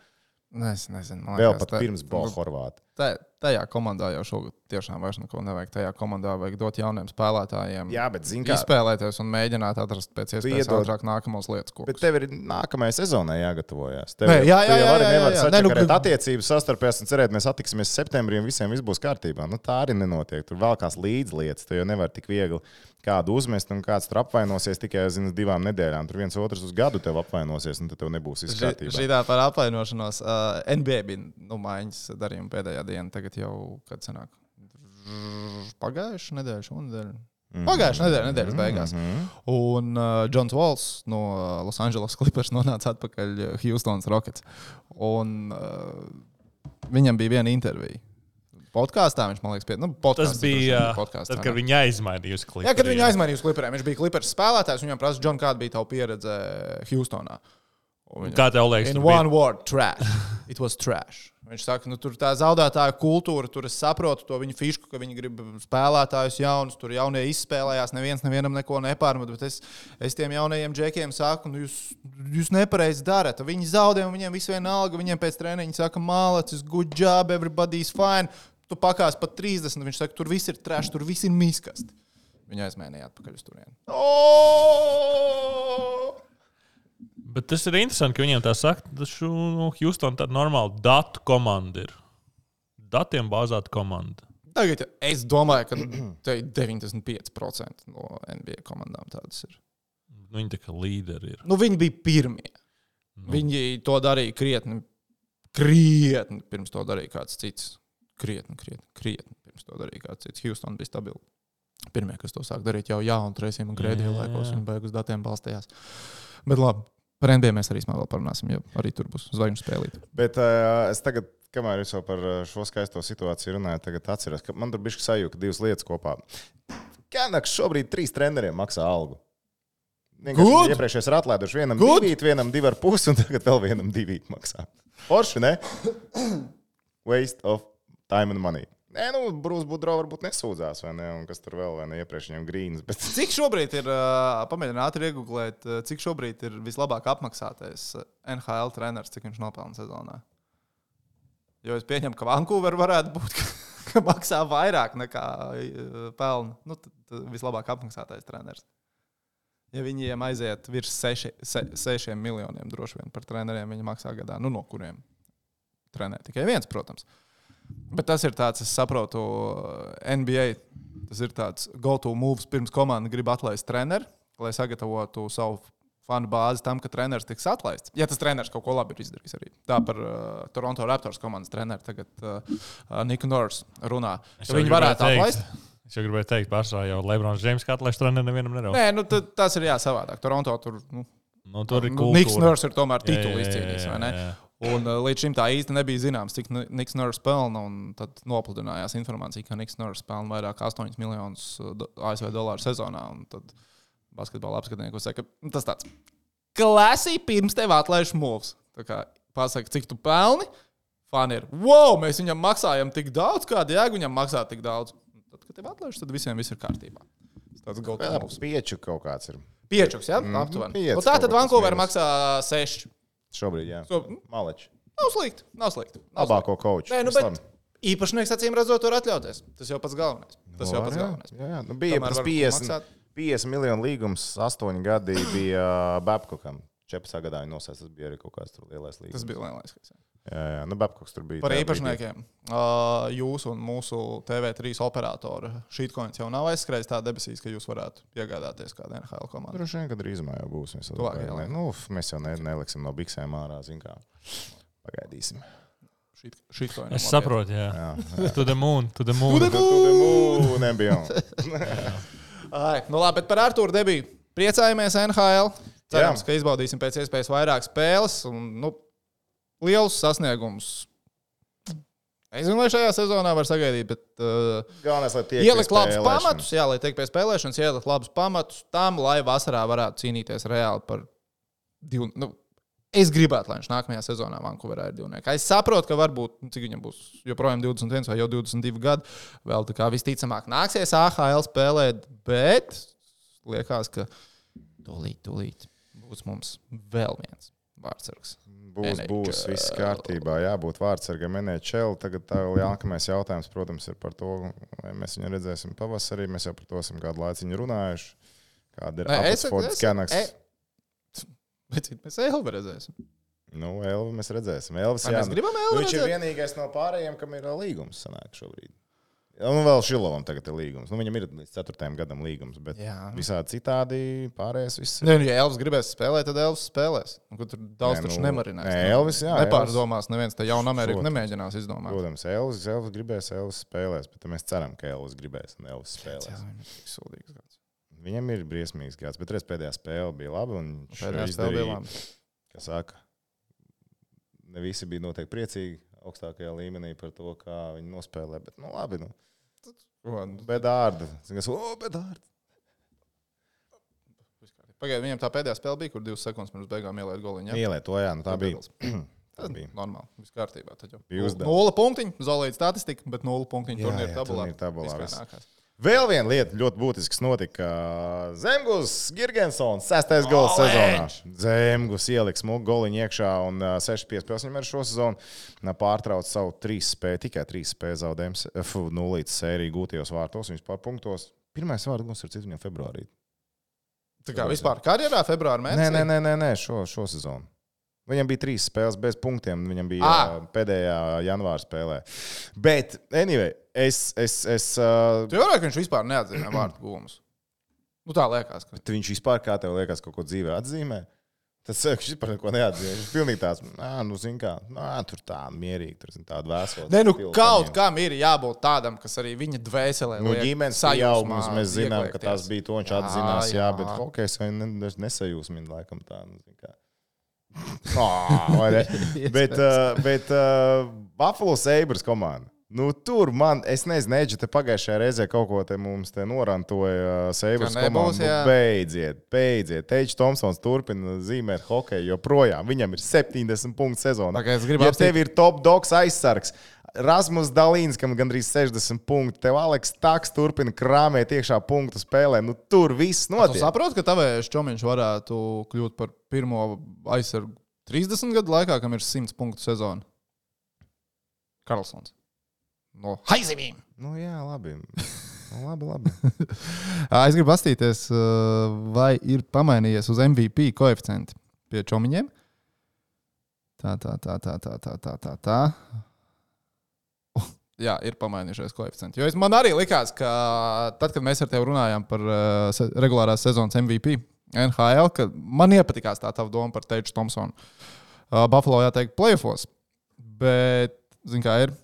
Es nezinu. Vēl liekas, pat tā, pirms Bola Horvāta. Tā, tajā komandā jau šogad tiešām vairs neko nevajag. Tajā komandā vajag dot jauniem spēlētājiem. Jā, bet zin kā... Izspēlēties un mēģināt atrast pēc iespējas iedod... ātrāk nākamos lietas kokus. Bet tev ir nākamajai sezonai jāgatavojās. Tev, Nē, jā, jā, jā, jā, nevar jā, jā. sačakarēt nu, attiecības sastarpēs un cerēt, mēs attiksimies septembrī un visiem viss būs kārtībā. Nu, tā arī nenotiek. Tur vēl kāds līdzlietas. Tu jau nevar tik viegli kādu uzmest un kāds tur apvainosies tikai zinu, divām nedēļām. Tur viens otrs uz gadu tev apvainosies un tad tev nebūs viss kārtībā. Šitā par apvainošanos. Uh, N B A bija nu, maiņas darījuma pēdējā diena. Tagad jau, kad sanāk, pagājuši nedēļu, šonedēļ. Pagājušā nedēļa, nedēļas beigās. Mm-hmm. Un uh, Džons Walls no Los Angeles Clippers nonāca atpakaļ Houstonas Rockets. Un uh, viņam bija viena intervija. Podkāstā viņš, man liekas, pie... Nu, tas bija, tad, kad viņi aizmainīja uz Clippers. Jā, kad viņi aizmainīja uz Clipperiem. Viņš bija Clippers spēlētājs, un viņam prasa, Džon, kāda bija tava pieredze Houstonā? Viņam, kā tev liekas? In one bija... word, trash. It was trash. Viņš saka, nu, tur tā zaudētāja kultūra, tur es saprotu to viņu fišku, ka viņi grib spēlētājus jaunus, tur jaunie izspēlējās, neviens nevienam neko nepārmet, bet es, es tiem jaunajiem džekiem saku, nu, jūs, jūs nepareizi darat. Viņi zaudē, un viņiem viss vienalga, viņiem pēc treniņa saka, mālacis, good job, everybody's fine. Tu pakās pat trīsdesmit, viņš saka, tur viss ir trash, tur viss ir miskasti. Viņa aizmainīja atpakaļ uz turieni. Oh! Bet tas ir interesanti, ka viņiem tā saka, ka nu, Houston tāda normāla datu komanda ir. Datiem bāzēta komanda. Tagad es domāju, ka te deviņdesmit pieci procenti no N B A komandām tādas ir. Viņi tā kā līderi ir. Nu, viņi bija pirmie. Nu. Viņi to darīja krietni, krietni pirms to darīja kāds cits. Krietni, krietni, krietni pirms to darīja kāds cits. Houston bija stabili. Pirmie, kas to sāk darīt jau jaunu Tracy'm un Grēdiju laikos, viņi beig uz datiem balstījās. Bet labi. Par N B A mēs arī vēl parunāsim, jo arī tur būs zvaigžņu spēlīt. Bet uh, es tagad, kamēr jūs jau par šo skaisto situāciju runājat, tagad atceros, ka man tur bišķi sajūta divas lietas kopā. Kenaks šobrīd trīs treneriem maksā algu. Vienkārši iepriekšējais ir atlaiduši vienam Good. divīt, vienam divi ar pusi, un tagad vēl vienam divīt maksā. Forši, ne? Waste of time and money. Nē, nu, Bruce Boudreau varbūt nesūdzās, vai ne, un kas tur vēl, vai ne, iepriekš viņam grīnas, bet... Cik šobrīd ir, uh, pamēģināt ātri iegooglēt, uh, cik šobrīd ir vislabāk apmaksātais N H L treneris, cik viņš nopelna sezonā? Jo es pieņemu, ka Vancouver varētu būt, ka, ka maksā vairāk nekā uh, pelna. Nu, tad, tad vislabāk apmaksātais treneris. Ja viņiem aiziet virs seši, se, sešiem miljoniem droši vien par treneriem, viņi maksā gadā, nu, no kuriem trenē tikai viens, protams. Bet tas ir tāds, es saprotu, N B A, tas ir tāds go-to moves pirms komanda grib atlaist treneri, lai sagatavotu savu fanu bāzi tam, ka treneris tiks atlaists. Ja tas treneris kaut ko labi ir izdarījis arī. Tā par uh, Toronto Raptors komandas treneri tagad uh, Nick Nurse runā. Viņi varētu atlaist. Es jau gribēju teikt, pārsvarā jau Lebrons James, kā atlaist treneri nevienam nedaudz. Nē, nu tad, tas ir jā savādāk. Toronto tur, nu, nu, tur ir kultūra. Nick Nurse ir tomēr titulu izcīnījis, vai ne? Jā, jā. Un uh, līdz šim tā īsti nebija zināms, cik Nick Nurse pelna, un tad nopludinājās informācija, ka Nick Nurse pelna vairāk astoņus miljonus A S V dolāru sezonā, un tad basketbola apskatnieki saka, ka tas tāds klasī pirms tev atlaiž moves. Tā kā pasaka, cik tu pelni, fani ir, wow, mēs viņam maksājam tik daudz, kāda jēga viņam maksā tik daudz. Un tad, kad tev atlaiž, tad visiem viss ir kārtībā. Tas tāds moves. Pieču kaut kāds ir. Piečuks, jā? Ja? Aptuveni. Un tā tad Vancouver maksā seši. Šobrīd, jā. So, Maleči. Nav slikti, nav slikti. Nav Labāko kauču. Nē, nu, bet īpašnieks acīm redzot to var atļauties. Tas jau pats galvenais. Tas no, jau pats jā, galvenais. Jā, jā. Nu, bija tas piecdesmit, piecdesmit miljonu līgums, astoņi gadi bija Babcockam. četrpadsmitajā gadā viņi nosēs, tas bija arī kaut kāds tur lielais līgums. Tas bija lielais. Jā, jā, nu Babcocks tur bija. Par īpašniekiem. Uh, jūs un mūsu T V trīs operatora Shitcoins jau nav aizskrējis tā debesīs, ka jūs varētu iegādāties kādu N H L komandu. Droši vien, kad drīzumā jau būs. Mēs, ne, nu, mēs jau ne, neliksim no biksēm ārā, zin kā. Pagaidīsim. Shit, shitcoin es saprotu, jā. jā, jā. To the moon, to the moon. To the moon, to the moon. Ai, nu labi, bet par Artūru debiju. Priecājamies N H L. Cerams, jā. Ka izbaudīsim pēc iespējas vairāk spēles un, nu, lielus sasniegumus. Es zinu, vai šajā sezonā var sagaidīt, bet uh, galvenais, lai tiek ielikt labus pamatus, jā, lai tiek pie spēlēšanas, ielikt labus pamatus tam, lai vasarā varētu cīnīties reāli par divu. Nu, es gribētu, lai viņš nākamajā sezonā Vancouverā ir divnieki. Es saprotu, ka varbūt, cik viņam būs joprojām divdesmit viens vai jau divdesmit divi gadi, vēl tā kā visticamāk nāksies A H L spēlēt, bet liekas, ka tūlīt, tūlīt būs mums vēl viens vārdsargs. Būs, būs, viss kārtībā, jābūt vārdsargam N H L. Tagad tā vēl jākamais jautājums, protams, ir par to, vai mēs viņu redzēsim pavasarī. Mēs jau par to esam kādu laiciņu runājuši. Kāda ir Abbotsfords Canucks? Bet mēs Elvi redzēsim. Nu, Elvi mēs redzēsim. Elvis, jā, mēs gribam Elvi viņš redzēt? Ir vienīgais no pārējiem, kam ir līgums sanāk šobrīd. Un vēl Šilovam tagad ir līgums. Nu, viņam ir līdz ceturtajam gadam līgums, bet jā. Visādi citādi pārējais viss. Ne, nu, ja Elvis gribēs spēlēt, tad Elvis spēlēs. Un, tur daudz ne, taču nu, nemarinēs. Ne, Elvis, jā. Nepārdomās, neviens te jaunu Ameriku protams, nemēģinās izdomāt. Protams, Elvis, Elvis gribēs, Elvis spēlēs, bet mēs ceram, ka Elvis gribēs un Elvis spēlēs. Jā, viņam ir sūdīgs gads. Viņam ir briesmīgs gads, bet reiz pēdējā spēle bija laba. Un pēdējā spēle bija laba. Kā saka, ne visi bija noteikti priecīgi augstākajā līmenī par to, kā viņi nospēlē, bet nu labi, nu. Bedārda. O, bedārda. Pagaid, viņam tā pēdējā spēle bija, kur divas sekundes pirms beigām ielēt goliņu. Ja? Ielēt to, jā, nu tā bija. Tā bija. Normāli, viss kārtībā. Tad jau. Nula punktiņi, zolīta statistika, bet nula punktiņi turnīra tabulā. tabulā Vēl viena lieta ļoti būtisks notika. Zemgus Girgensons, sestais gols sezonā. Zemgus ieliks smuku goliņu iekšā un seši piespēles viņam ar šo sezonu pārtrauc savu trīs spēju, tikai trīs spēju zaudējums, nulītes sēriju gūtajos vārtos, viņus pār punktos. Pirmais vārds gals ir cits viņam februārī. Tā kā vispār karjerā februāra mēnesī? Nē, nē, nē, nē, šo, šo sezonu. Viņam bija trīs spēles bez punktiem, viņam bija ah. pēdējā janvāra spēlē. Bet, anyway, es... es, es uh... Tu varētu, ka viņš vispār neatzīmē vārtu guvumus. Nu tā liekas. Ka... Bet viņš vispār, kā tev liekas, kaut ko dzīvē atzīmē? Tas viņš vispār neko neatzīmē. Viņš pilnīgi tāds, nā, nu zin kā, nā, tur tā mierīgi, tur zin tādu vēsolu. Ne, nu kaut kam ir jābūt tādam, kas arī viņa dvēselē liek. Nu, ģimenes pieaugums, mēs zinām, ka tas bija to, viņš atzinās, jā, jā, bet hokejs vai nesajūsmina laikam tā, nu zin kā. Oh, bet uh, bet uh, Buffalo Sabres komanda. Nu, tur man, es nezinu, Eģi, te pagājušajā reizē kaut ko te mums te norantoja uh, Sabres komanda. Nu, beidziet, beidziet. Teģis Tomsons turpina zīmēt hokeju joprojām. Viņam ir septiņdesmit punktu sezonā. Okay, ja apstīt... tev ir top dogs aizsargs, Rasmus Dalīns, kam gandrīz sešdesmit punkti, tev Aleks Taks turpina krāmēt iekšā punktu spēlē. Nu, tur viss notiek. Tu saproti, ka tavējais Čomiņš varētu kļūt par pirmo aizsargu trīsdesmit gadu laikā, kam ir simts punktu sezona? Karlsons. No haizivīm. Nu jā, labi. Nu, labi, labi. Es gribu pastīties, vai ir pamainījies uz M V P koeficienti pie Čomiņiem. Tā, tā, tā, tā, tā, tā, tā, tā, tā. Jā, ir pamainījušies koeficienti. Jo es, man arī likās, ka tad, kad mēs ar tevi runājām par uh, se, regulārās sezonas M V P N H L, ka man iepatikās tā tava doma par Teģu Tomsonu. Uh, Buffalo jāteikt playoffos. Bet, zin kā ir,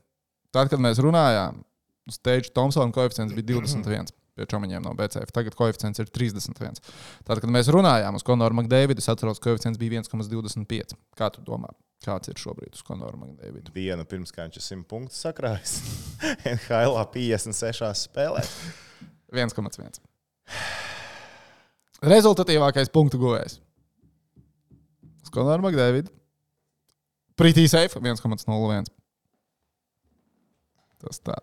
tad, kad mēs runājām, uz Teģu Tomsonu koeficients bija divdesmit viens pie Čomiņiem no B C F. Tagad koeficients ir trīsdesmit viens. Tad, kad mēs runājām uz Konoru Makdeividu, es atceros, koeficients bija viens komats divdesmit pieci. Kā tu domā? Kāds ir šobrīd uz Konoru Makdeividu? Dienu pirms, kā viņš ir simt punktus sakrājis. N H L piecdesmit sešās spēlēs. viens komats viens. Rezultatīvākais punktu guvējs. Uz Konoru Makdeividu. Pretty safe viens komats nulle viens. Tas tā.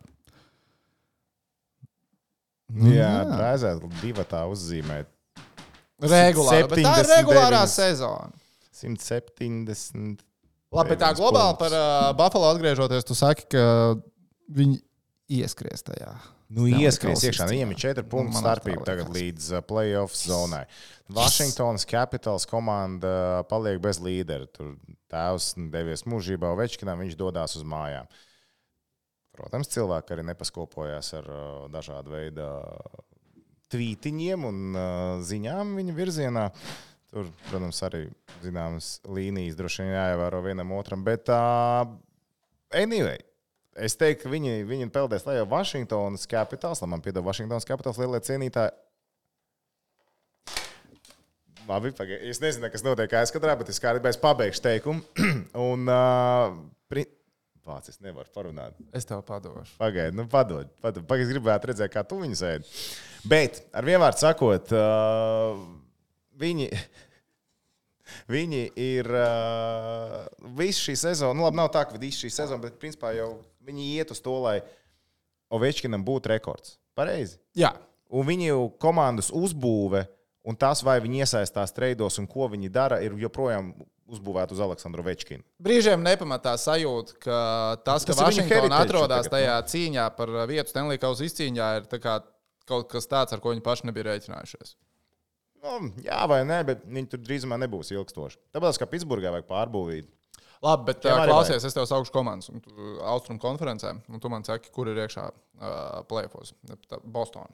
Nu, jā, rēzēt divi tā uzzīmēt. Regulāri, bet tā ir regulārā sezona. simt septiņdesmit. Labi, bet tā globāli par uh, Buffalo atgriežoties, tu saki, ka viņi ieskries tajā. Nu, ieskries iekšā. Viņiem ir četri punktu starpība tagad līdz uh, playoff zonai. Washingtonas Capitals komanda paliek bez līdera. Tur tēvs devies mūžībā Ovečkinam, viņš dodās uz mājām. Protams, cilvēki arī nepaskopojās ar uh, dažādu veidu tvītiņiem un uh, ziņām viņa virzienā. Tur, protams, arī zināmas līnijas droši vien jāievēro vienam otram, bet uh, anyway, es teiktu, ka viņi, viņi peldēs lejā Washingtonas Capitals, lai man piedod Washingtonas Capitals lielie cienītāji. Labi, pagaid, es nezinu, kas notiek aizkadrā, bet es kādreiz pabeigšu teikumu. Un, uh, pri... Vāc, es nevaru parunāt. Es tev padošu. Pagaid, nu padod. padod. Pagaid, es gribētu redzēt, kā tu viņu sēdi. Bet, ar vienvārdu sakot, uh, viņi, viņi ir uh, visu šī sezona, nu labi, nav tā, ka visu šī sezona, bet principā jau viņi iet uz to, lai Ovečkinam būtu rekords. Pareizi? Jā. Un viņu komandas uzbūve un tas, vai viņi iesaistās treidos un ko viņi dara, ir joprojām uzbūvēt uz Aleksandru Ovečkinu. Brīžiem nepamatā sajūta, ka tas, ka Vašingtona atrodas tajā cīņā par vietu Stanley Kausa izcīņā, ir tā kā kaut kas tāds, ar ko viņi paši nebija rēķinājušies. Nu, jā vai nē, bet viņi tur drīzumā nebūs ilgstoši. Tāpēc, kā Pitsburgā vajag pārbūvīt. Labi, bet uh, klausies, es tev saukšu komandas un tu, Austrum konferencē, un tu man saki, kur ir iekšā uh, play-offs. Boston.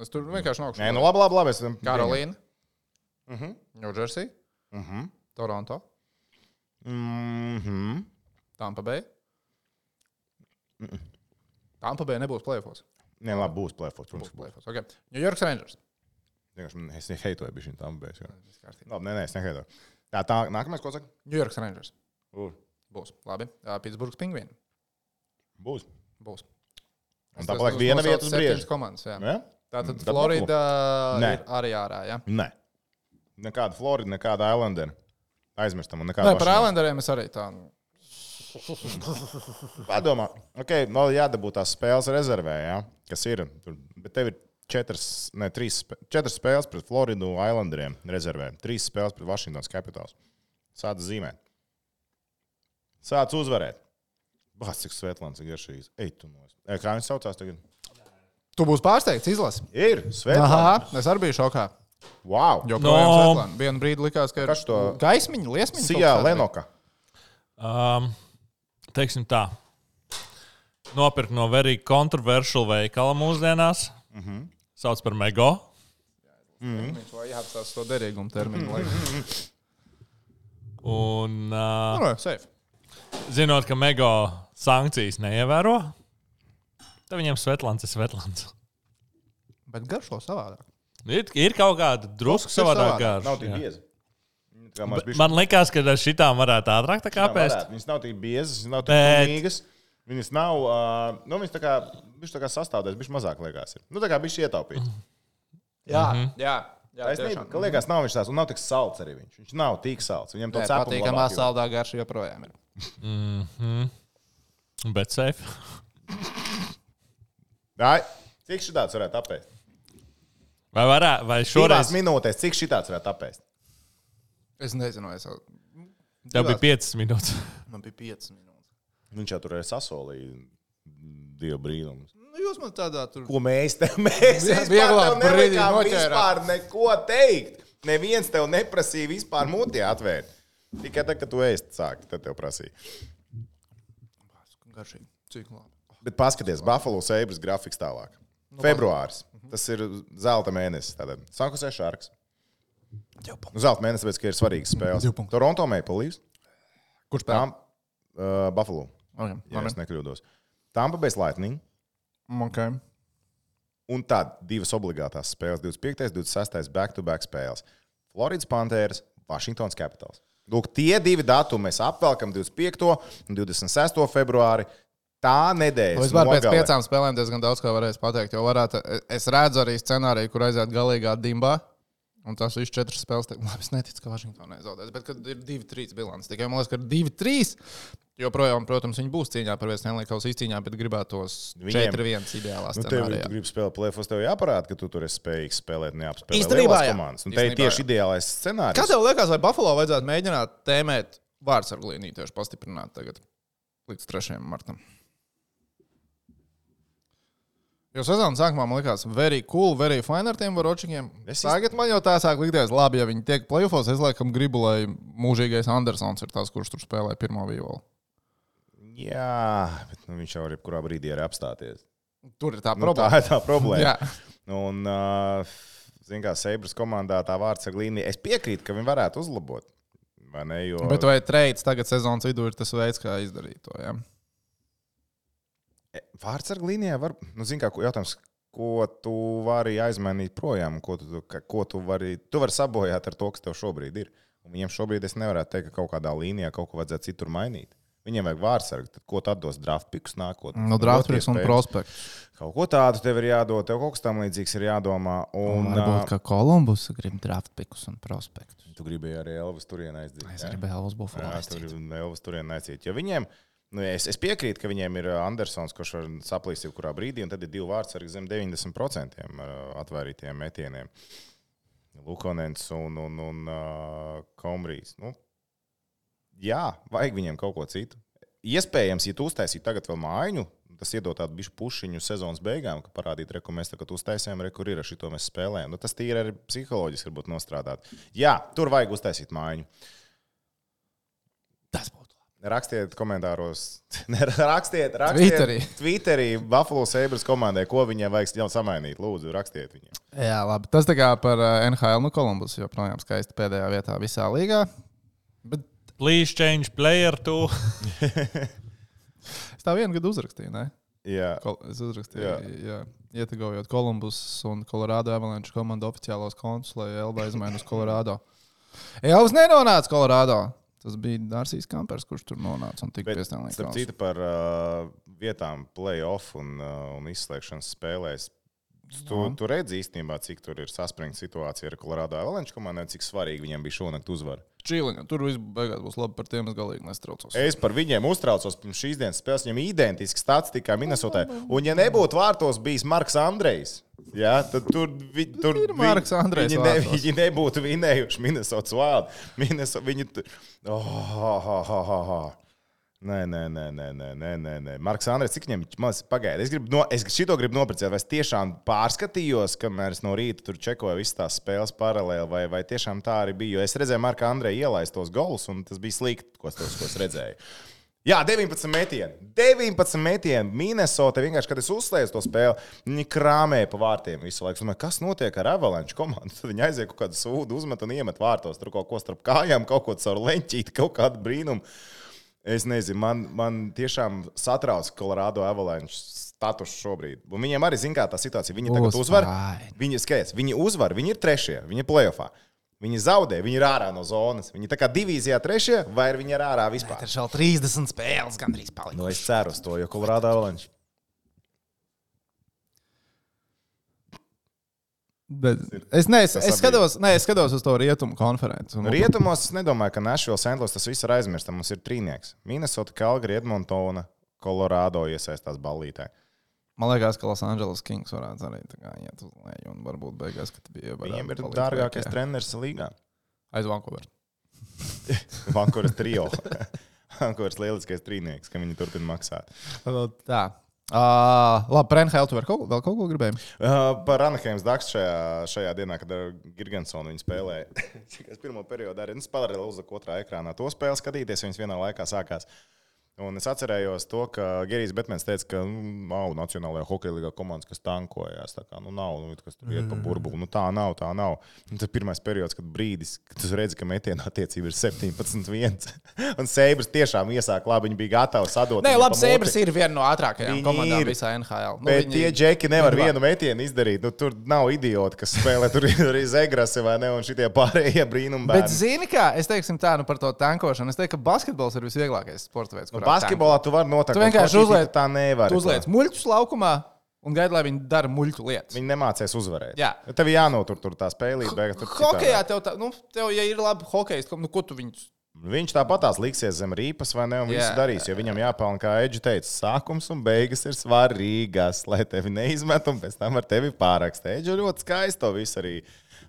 Es tur vienkārši nākšu. Nē, nu labi, labi, labi. Es... Karolīna. Mhm. New Jersey. Mhm. Toronto. Mhm. Tampa Bay. Mhm. Tampa Bay nebūs play-offs. Nē, labi, būs play-offs. Būs play-offs. Okay. New York Rangers. Es neheitoju bišķiņ Tampa Bay. Labi, nē, nē, es neheitoju. Tā, tā, nākamais, ko saka? New York Rangers. Būs. Būs. Labi. Pitsburgas Pingvīni. Būs. Būs. Un tā paliek viena vieta uz brieža. Komandas, jā. Ja? Tātad Florida Nē. ir arī ārā, jā? Nē. Nekāda Florida, nekāda Islandera. Aizmirstam un nekāda. Nē, par Islanderiem es arī tā. Padomā, ok, vēl jādabū tās spēles rezervē, jā, kas ir. Tur, bet tev ir četras, ne, trīs, četras spēles pret Floridu Islanderiem rezervē. Trīs spēles pret Washingtons Capitals. Sāc zīmēt. Sāc uzvarēt. Bāc, cik Svetlāns ir garšīgs. Ej, tu nos. E, kā viņš saucās tagad? Tu būsi pārsteigts, izlasi. Ir, Svetlāns. Aha, es arī biju šokā. Wow. Jo projām No. Svetlāna. Vienu brīdi likās, ka ir Kas to? gaismiņa, liesmiņa. Sijā Lenoka. Um, teiksim tā. Nopirkt no very controversial veikala mūsdienās. Mhm. Sauc par Mego. Viņš vai jāapstāsta to derīgumu terminu. laikam. Un uh, Nu, no, safe. zinot, ka Mego sankcijas neievēro, tad viņiem Svetlāns ir Svetlāns. Bet garšo savādāk. Ir, ir kaut kāda drusku ir savādāk savādāk. garša. Nav tik jā. bieza. Kā maz bišķi- Man likās, ka ar šitām varētu ātrāk tā kā Jā, pēst. varētu. Viņas nav tik biezas, viņas nav tik Bet- pilnīgas. Viņas nav, uh, nu, viņas tā kā, bišķi tā kā sastāvdaļas, bišķi mazāk liekas. Ir. Nu, tā kā bišķi ietaupīt. Jā, jā. jā Taisnība, ka liekas, nav viņš tāds, un nav tik salds arī viņš. Viņš nav tik salds. Viņam to Nē, cepumu patīkamā labāk jūt. saldā garša joprojām ir. Mhm. Bet safe. Ai, cik šitāds varētu apēst? Vai varētu, vai Šoreiz šoreiz minūtēs, cik šitāds varētu apēst? Es nezinu, es jau. tev bija piecas minūtes? Man bija piecas minūtes. Viņš jau tur ir sasolījis dievu brīnumus. Nu, jūs man tādā tur. Ko mēs te mēs Jā, vispār vieglāk tev brīdī nelikām noķērāt. vispār neko teikt. Neviens tev neprasīja vispār mutī atvērt. Tikai tad, kad tu ēst sāki, tad tev prasīja. Garšīgi. Cik labi. Bet paskaties, Buffalo Sabres grafiks tālāk. Februāris. Tas ir zelta mēnesis. Tātad Sankusē Sharks. Nu, zelta mēnesis, tāpēc, ka ir svarīgas spēles. Divi punkti. Toronto Maple Leafs. Kurš spēlē? Tam, uh, Buffalo. Okay. Ja es nekļūdos. Tampa Bay Lightning. Okay. Un tad divas obligātās spēles. divdesmit piektais, divdesmit sestais back-to-back spēles. Floridas Panthers, Washingtons Capitals. Lūk, tie divi datumi mēs apvelkam divdesmit piekto un divdesmit sesto februāri. Tā nedēļa. Vispār pēc piecām spēlēm diezgan daudz ko varēs pateikt. Jo varētu, es redzu arī scenāriju, kur aiziet galīgā dimbā. Un tas viss četras spēles. Te... Labi, es neticu, ka Vašingtonā nezaudēs. Bet, kad ir divi trīs bilants, tikai man liekas, ka ir divi trīs. Joprojām, protams, viņi būs cīņā par vienu Stanley-Kausa izcīņā, bet gribētos četri viens ideālā Nu, tev, scenārijā. tu gribi spēlēt plēfos, tev jāparāda, ka tu tur esi spējīgs spēlēt, neapspēlēt Īstenībā, lielās jā. komandas. Un te ir Īstenībā, tieši jā. ideālais scenārijs. Kā tev liekas, vai Buffalo vajadzētu mēģināt tēmēt vārdsargu līniju tieši pastiprināt tagad līdz trešajam martam? Jo sezonas sākumā man likās, very cool, very fine ar tiem varočikiem. Es Tagad man jau tā sāk likties, labi, ja viņi tiek playoffs, es laikam gribu, lai mūžīgais Andersons ir tas, kurš tur spēlē pirmo violu. Jā, bet nu, viņš jau ir jebkurā brīdī arī apstāties. Tur ir tā Nu, tā problēma. ir tā problēma. Jā. Un, uh, zin kā, Sabres komandā tā vārdsarga līnija, es piekrītu, ka viņi varētu uzlabot. Vai ne, jo... Bet vai trades tagad sezonas vidū ir tas veids, kā izdarīt to? Ja? Vārdsarga līnijā var, nu, zin kā, jautājums, ko tu vari aizmainīt projām, ko tu, ka, ko tu vari, tu vari sabojāt ar to, kas tev šobrīd ir. Un viņiem šobrīd es nevarētu teikt, ka kaut kādā līnijā kaut ko vajadzētu citur mainīt. Viņiem vajag vārdsargu, tad ko tad dos draft pikus nākotnē? No draft picks un prospekts. Kaut ko tādu tev ir jādod, tev kaut kas tam līdzīgs ir jādomā. Un, Varbūt, ka Kolumbus grib draft pickus un prospektus. Tu gribēji arī Elvis turienē aizdīt. Es gribēju Elvis Buffalo Jā, tur aizdīt. ir Elvis turienē aizdīt. Jo viņiem, nu, es, es piekrītu, ka viņiem ir Andersons, kurš var saplīst jebkurā brīdī, un tad ir divi vārdsargi zem deviņdesmit procentiem atvērītiem metieniem. Lukonens un, un, un uh, Komrijs. Nu, jā, vajag viņiem kaut ko citu. Iespējams, ja tu uztaisītu tagad vēl mājiņu, tas iedod tādu bišķu pušiņu sezonas beigām, ka parādīt, re, ko mēs tagad uztaisījām, re, kur ir, ar šito mēs spēlējam. Nu, tas tīri arī psiholoģiski varbūt nostrādāt. Jā, tur vajag uztaisīt mājiņu. Tas būtu. Rakstiet komentāros, rakstiet, rakstiet Twitterī. Twitterī Buffalo Sabres komandai, ko viņiem vajag jau samainīt. Lūdzu, rakstiet viņiem. Jā, labi. Tas tā kā par N H L, nu Kolumbus joprojām skaisti pēdējā vietā visā līgā. Bet... Please change player to. Es tā vienu gadu uzrakstīju, ne? Jā. Kol- es uzrakstīju, jā. jā. Ietegojot Kolumbus un Colorado Avalanche komandu oficiālos kontus, lai Elba izmaina uz Colorado. Elvas nenonāca Colorado. Tas bija Dārsīs Kampers, kurš tur nonāca un tika piestāvnīgi. Starp citu par uh, vietām play-off un, uh, un izslēgšanas spēlēs. Tu, No. tu redzi īstenībā, cik tur ir saspringta situācija ar Colorado Avalanche komandai, cik svarīgi viņiem bija šonakt uzvara. Čīliņa, tur viss beigās būs labi, par tiem es galīgi nestraucos. Es par viņiem uztraucos pirms šīs dienas spēles. Viņam identiski statistika kā Minnesotai. Un ja nebūtu vārtos bijis Marks Andrejs, ja, tad tur, vi, tur Ir Marks Andrejs viņi, ne, vārtos. viņi nebūtu vinējuši Minnesotas Wild. Minnesota, viņi tu... oh, oh, oh, oh, oh. Nē, nē, nē, nē, nē, nē, nē, nē. Marks Andrejs, cik viņam maz pagaida? Es, gribu no, es šito gribu noprecēt, vai es tiešām pārskatījos, kamēr es no rīta tur čekoju visas tās spēles paralēli, vai, vai tiešām tā arī bija. Jo es redzēju Marka Andreja ielaist tos golus, un tas bija slikti, ko, tos, ko es redzēju. Jā, deviņpadsmit metieni. deviņpadsmit metieni. Minnesota vienkārši, kad es uzslēdzu to spēli, viņi krāmēja pa vārtiem visu laiku. Es domāju, kas notiek ar Avalanche komandu? Tad viņi aiziet kaut kādu sūdu, uzmet un iemet vārtos. Tur kaut ko starp kājām, kaut ko caur leņķīti, kaut kādu brīnumu. Es nezinu, man, man tiešām satrauc Colorado Avalanche status šobrīd. Un viņiem arī, zin kā, tā situācija. Viņi tagad uzvar. Viņi, skaties, viņi uzvar, viņi ir trešie, viņi ir playoffā. Viņi zaudē, viņi ir ārā no zonas. Viņi tā kā divīzijā trešie, vai viņi ir ārā vispār? Ir šādi trīsdesmit spēles gandrīz palikušas. Nu, es ceru uz to, jo Colorado Avalanche. Bet es, ne, es, es, skatos, ne, es skatos uz to rietumu konferenci. Un... Rietumos es nedomāju, ka Nashville, Saint Louis tas viss ir aizmirsts. Mums ir trīnieks. Minnesota, Calgary, Edmontona, Colorado iesaistās ballītē. Man liekas, ka Los Angeles Kings varētu arī tā kā iet uz leju un varbūt beigās, ka bija Viņiem ir dārgākais treneris līgā. Aiz Vancouver. Vancouveras trio. Vancouveras lieliskais trīnieks, ka viņi turpina maksāt. Tā. Uh, labi, par N H L tu vēl kaut, vēl kaut ko gribēji? Uh, par Anaheims Ducks šajā, šajā dienā, kad ar Girgensonu viņi spēlēja. Es pirmo periodu arī paralēli uzliku otrā ekrānā to spēli skatīties, viņas vienā laikā sākās. Un es atcerējos to, ka Gerijs Betmens teica, ka nu, nav Nacionālajā hokeja līgā komandas, kas tankojās. Tā kā, nu, nav, nu, kas tur iet pa burbuli. Nu, tā nav, tā nav. Un tas pirmais periods, kad brīdis, kad tu redzi, ka metiena attiecība ir septiņpadsmit viens. Un Sabres tiešām iesāk labi, viņi bija gatavi sadot. Nē, labi, Sabres ir viena no ātrākajām viņi komandām ir. Visā N H L. Nu, bet viņi... tie džeki nevar viņi vienu metienu izdarīt. Nu, tur nav idioti, kas spēlē. Tur ir arī Zegrasi vai ne, un šitie pārējie brīnumi bērni. Bet zini kā, es teiksim tā, nu par to tankošanu. Es teiktu, ka basketbols ir visvieglākais sporta veids. Nu, basketbolā tu vari notakt. Tu vienkārši uzliec, tā nevar. Tu uzliec muļķus laukumā un gaidi, lai viņi dara muļķu lietas. Viņi nemācēs uzvarēt. Jā. Tev jānotur tur tā spēlīt. Hokejā tev, tā, nu, tev, ja ir labi hokejs, nu, ko tu viņus... Viņš tāpatās liksies zem rīpas vai ne, un visu darīs, jo viņam jāpelna, kā Edži teica, sākums un beigas ir svarīgas, lai tevi neizmet un pēc tam ar tevi pārakstē. Edži ļoti skaisti to visu arī.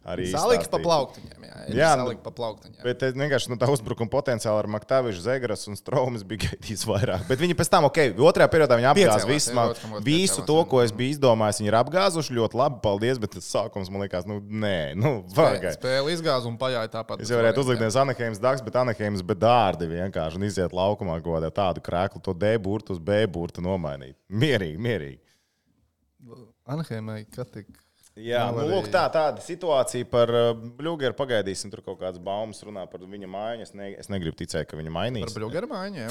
Salika pa plauktiņiem, jā. Jā, salika pa plauktiņiem. Bet vienkārši nu, tā uzbrukuma potenciāli ar Maktavišu, Zegras un Stromis bija gaidījis vairāk. Bet viņi pēc tam, ok, otrajā periodā viņi apgāz visu, man, visu to, ko es biju izdomājis. Viņi ir apgāzuši ļoti labi, paldies, bet tas sākums man likās, nu, nē, nu, vajag. Spēle izgāz un pajāja tāpat. Es jau varētu uzlikt nevis Anaheims Ducks, bet Anaheims bedārdi vienkārši un iziet laukumā godā tādu krēklu, to D burtu uz B burtu nomainīt. Mierīgi, mierīgi. Anaheimai, kad tik... Jā, nu, lūk, tā, tāda situācija par uh, Bļūgeru. Pagaidīsim, tur kaut kādas baumas runā par viņa mājiņu. Es, ne, es negribu ticēt, ka viņa mainīs. Par Bļūgeru mājiņu, jā.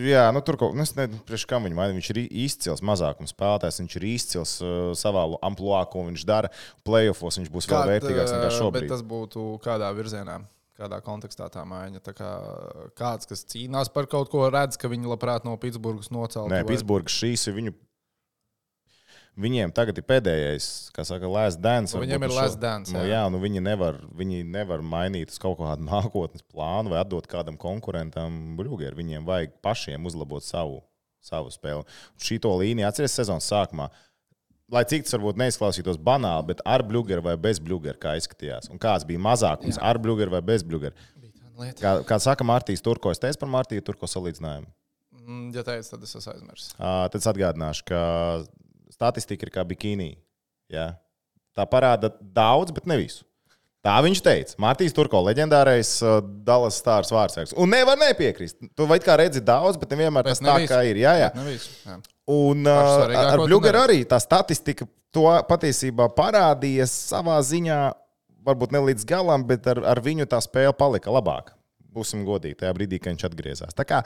Jā, nu tur kaut kas, nezinu, priekš kam viņa mainīs. Viņš ir izcils mazākums spēlētājs, viņš ir izcils uh, savā ampluā, ko viņš dara. Playoffos viņš būs vēl vērtīgāks nekā šobrīd. Bet tas būtu kādā virzienā? Kādā kontekstā tā mājiņa? Tā kā kāds, kas cīnās par kaut ko, redz, ka viņi labprāt no Pitsburgas nocelt? Nē, vai... Pitsburgas šīs ir viņu... Viņiem tagad ir pēdējais, kā saka, last dance. Nu, viņiem ir last dance. Jā, nu, jā nu, viņi, nevar, viņi nevar mainīt uz kaut kādu nākotnes plānu vai atdot kādam konkurentam Bļūgeru. Viņiem vajag pašiem uzlabot savu, savu spēli. Šito līniju atceries sezonas sākumā. Lai cik tas varbūt neizklausītos banāli, bet ar Bļūgeru vai bez Bļūgeru, kā izskatījās. Un kāds bija mazākums jā. Ar Bļūgeru vai bez Bļūgeru. Kā, kā saka Mārtīs Turko, es teicu par Mārtīju Turko salīdzinājumu. Ja teicu, tad es esmu aizmirsis. Uh, tad es atgādināšu, ka statistika ir kā bikīnī. Ja? Tā parāda daudz, bet ne visu. Tā viņš teica. Mārtiņš Turko, leģendārais uh, Dallas Stars vārdsargs. Un nevar nepiekrist. Tu vai kā redzi daudz, bet nevienmēr tas tā kā ir. Jā, jā. jā. Un uh, ar Bļugeru arī tā statistika to patiesībā parādījies savā ziņā, varbūt ne līdz galam, bet ar, ar viņu tā spēle palika labāka. Būsim godīgi tajā brīdī, kad viņš atgriezās. Tā kā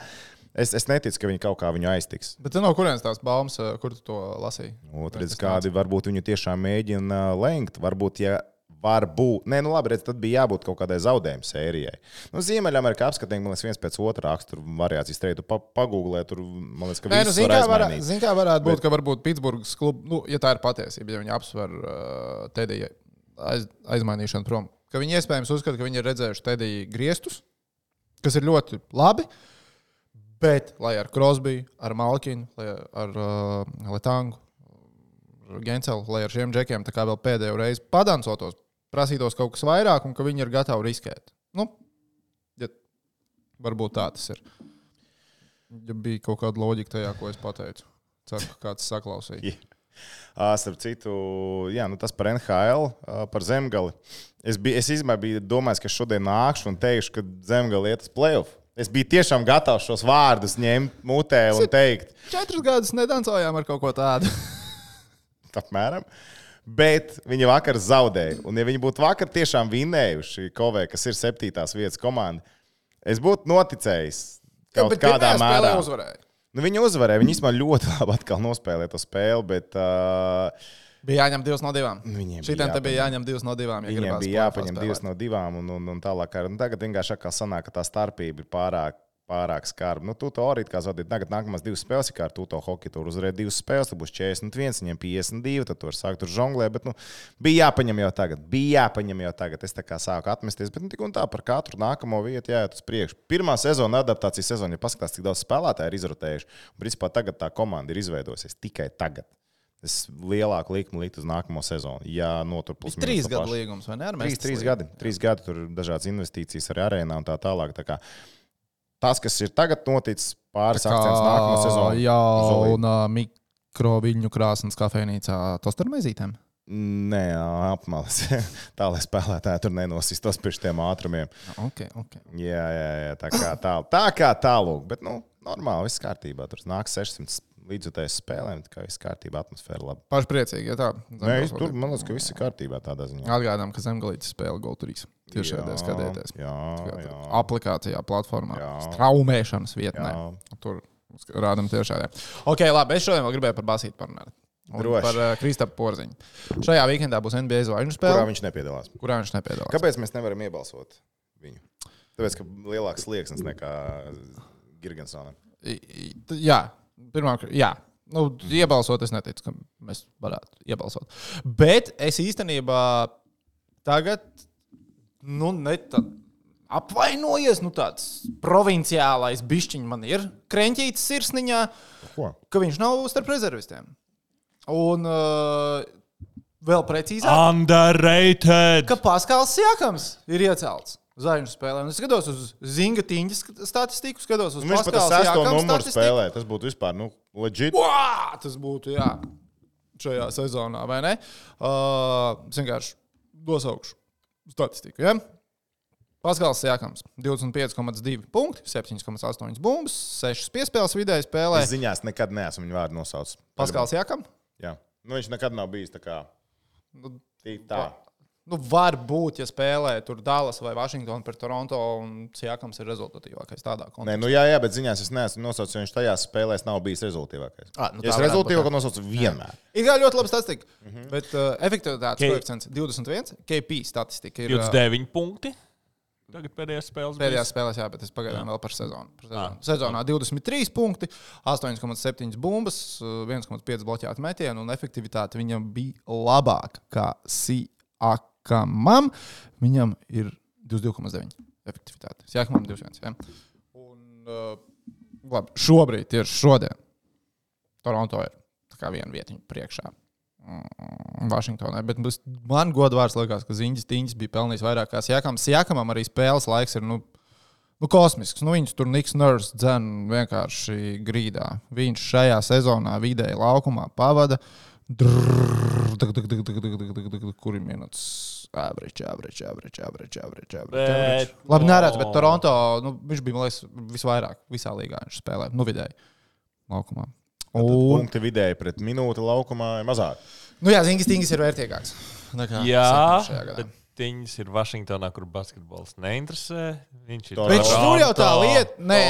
es, es neticu, ka viņi kaut kā viņu aiztiks. Bet no kurienes tās baumas, kur tu to lasīji? Otrs, kādi varbūt viņu tiešām mēģina lengt. Varbūt, ja varbūt, nē, nu labi, redz, tad bija jābūt kaut kādai zaudējuma sērijai. Nu, Ziemeļamerikā apskatījumi, man liekas, viens pēc otra raksturu variācijas treidu pa, pagūglē, tur, man liekas, ka nē, viss nu, var var aizmainīt. Zin kā varētu būt, Bet... ka varbūt Pitsburgas klubu, nu, ja tā ir patiesība, ja viņi apsver uh, Tedija aiz, aizmainīšanu prom, ka viņi iespējams uzskata, ka viņi ir redzējuši Tedija griestus, kas ir ļoti labi, bet, lai ar Crosby, ar Malkinu, lai ar uh, Letangu, Gencelu, lai ar šiem džekiem tā kā vēl pēdējo reizi padancotos, prasītos kaut kas vairāk un ka viņi ir gatavi riskēt. Nu, ja varbūt tā tas ir. Ja bija kaut kāda loģika tajā, ko es pateicu. Ceru, ka kāds saklausīja. Yeah. Starp citu, jā, nu tas par N H L, par Zemgali. Es, biju, es izmēr biju domājis, ka šodien nākšu un teikšu, ka Zemgali iet uz play-off. Es biju tiešām gatavs šos vārdus ņemt mutē un teikt. Četrus gadus nedancojām ar kaut ko tādu. Apmēram. Bet viņi vakar zaudēja. Un ja viņi būtu vakar tiešām vinējuši Kovē, kas ir septītās vietas komanda, es būtu noticējis kaut ja, kādā mērā. Uzvarēja. Nu, viņi uzvarēja. Viņi īstenībā ļoti labi atkal nospēlēja to spēli, bet... Uh, bija jāņem divas no divām. Šitiem te bija jāņem divas no divām. Ja viņiem bija jāpaņem divas no divām un, un, un tālāk. Un tagad vienkārši atkal sanāk, ka tā starpība ir pārāk, pārāk skarba. Nu, tu to arī kā zaudēt. Tagad nākamās divas spēles, kā ar tu to hokeju tur uzvarēja divas spēles, tad būs četrdesmit viens, viņiem piecdesmit divi, tad tu vari sākt tur žonglēt. Bet, nu, bija jāpaņem jau tagad. Bija jāpaņem jau tagad. Es tā kā sāku atmesties, bet nu, tik un tā par katru nākamo vietu jāiet uz priekšu. Pirmā sezona, adaptācijas sezona, ja paskatās, cik daudz spēlētāji ir izrotējuši. Un, principā, tagad tā komanda ir izveidojusies tikai tagad. Es lielāku likmu likt uz nākamo sezonu. Ja notur plus mīnus. Trīs gadu līgums, vai ne? Trīs, trīs gadi. Trīs gadi, tur ir dažādas investīcijas arī arēnā un tā tālāk. Tā kā tas, kas ir tagad noticis, pāris akcents nākamā sezonā. Jā, un uh, mikroviļņu krāsnes kafejnīcā tostarmaizītēm? Nē, apmalas. Tā, lai spēlētāji tur nenosistos pie šiem ātrumiem. Ok, ok. Jā, jā, jā, tā kā tā, tā kā tālūk. Bet, nu, normāli, viss kārtībā. Tur nāk sešsimt līdzjutējas spēlēm, tā kā viss kārtībā, atmosfēra laba. Paši priecīgi, ja tā. Nē, tur, man liekas, ka viss ir kārtībā tādā ziņā. Atgādām, ka Zemgalītis spēle Go trīs. Tieši šādēļ skatieties. Jā, jā. Aplikācijā, platformā, jā. straumēšanas vietnē. Jā. Tur rādam tiešādē. Ok, labi, es šodien vēl gribēju par basīti parunāt. Un Droši. Par uh, Kristapu Porziņu. Šajā weekendā būs N B A zvaigžņu spēle. Kurā viņš nepiedalās? Kurā viņš nepiedalās. Kāpēc mēs nevaram iebalsot viņu? Tāpēc, ka lielāks slieksnis nekā Girgensonam. Jā, pirmāk, jā. Nu, iebalsot, es neticu, ka mēs varētu iebalsot. Bet es īstenībā tagad, nu, ne tad apvainojies, nu, tāds provinciālais bišķiņ man ir kreņķītis sirsniņā, Ko? Ka viņš nav starp rezervistiem. Un uh, vēl precīzāk, Underrated! ka Paskals Siakams ir iecelts zvaigžņu spēlē. Un es skatos uz Zinga Tiņģas statistiku, skatos uz Paskals Siakams statistiku. Spēlē. Tas būtu vispār, nu, legit. Uā, tas būtu, jā, šajā sezonā, vai ne? Uh, es vienkārši dosaukšu statistiku, ja? Paskals Siakams, divdesmit pieci komats divi punkti, septiņi komats astoņi bumbas, sešas piespēles vidēji spēlē. Es ziņās nekad neesmu viņu vārdu nosaucis. Paskals Siakam? Jā. Nu, viņš nekad nav bijis tā kā Nu, tā. Nu, var būt, ja spēlē tur Dallas vai Vašingtona pret Toronto un Siakams ir rezultatīvākais tādā kontekstā. Nē, nu jā, jā, bet ziņās es neesmu nosaucis, jo viņš tajās spēlēs nav bijis rezultīvākais. Ah, nu ja es rezultīvāko nosaucu vienmēr. Ir kā ļoti laba statistika, mm-hmm. bet uh, efektivitātes K... koeficients divdesmit viens, K P statistika ir divdesmit deviņi punkti. Tagad pēdējās spēles. Pēdējās spēlēs, jā, bet es pagaidām vēl par sezonu. Par sezonu. Ah. Sezonā divdesmit trīs punkti, astoņi komats septiņi bumbas, viens komats pieci bloķēti metieni un efektivitāte viņam bija labāka kā Siakamam. Viņam ir divdesmit divi komats deviņi efektivitāte. Siakamam divdesmit viens. Ja? Un, uh, labi, šobrīd, tieši šodien, Toronto ir tā kā viena vietiņa priekšā. Vašingtonai, bet man godvārds liekas, ka Ziņģis Tiņģis bija pelnījis vairāk kā Siakamam. Siakamam arī spēles laiks ir, nu, nu kosmisks. Nu, viņš tur Niks Nurse dzen vienkārši grīdā. Viņš šajā sezonā vidēji laukumā pavada. Drrrr, kuri minūtes? average, average, average, average, average, average. Labi, neredz, bet Toronto, nu, viņš bija, man liekas, visvairāk visā līgā viņš spēlē, nu vidēji laukumā. Un... Punkti vidēji pret minūti laukumā ir mazāk. Nu jā, Zingis Tingis ir vērtīgāks. Jā, bet Tingis ir Vašingtonā, kur basketbols neinteresē. Viņš ir bet tur jau tā lieta, nē,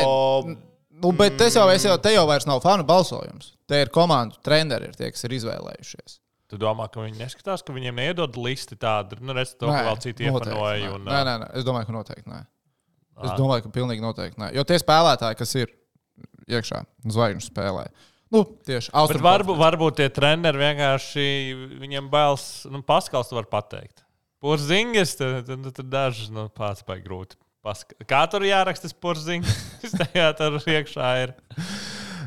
nu, bet es jau, es jau, te jau vairs nav fanu balsojums. Te ir komandu treneri, ir tie, kas ir izvēlējušies. Tu domā, ka viņi neskatās, ka viņiem neiedod listi tādu, nu, redz to, ka vēl citi iepanoja. Un... Nē, nē, nē, es domāju, ka noteikti nē. Es Aha. domāju, ka pilnīgi noteikti nē. Jo tie spēlētāji, kas ir iekšā, zvaigžņu spēlē. Nu, tieši Austrum. Bet varbūt, varbūt tie treneri vienkārši, viņiem bailes, nu, Paskals var pateikt. Porzingis, tad, tad, tad daži, nu, pats vai grūti. Paska... Kā tur jāraksta Porzingis? Tajā tur iekšā ir.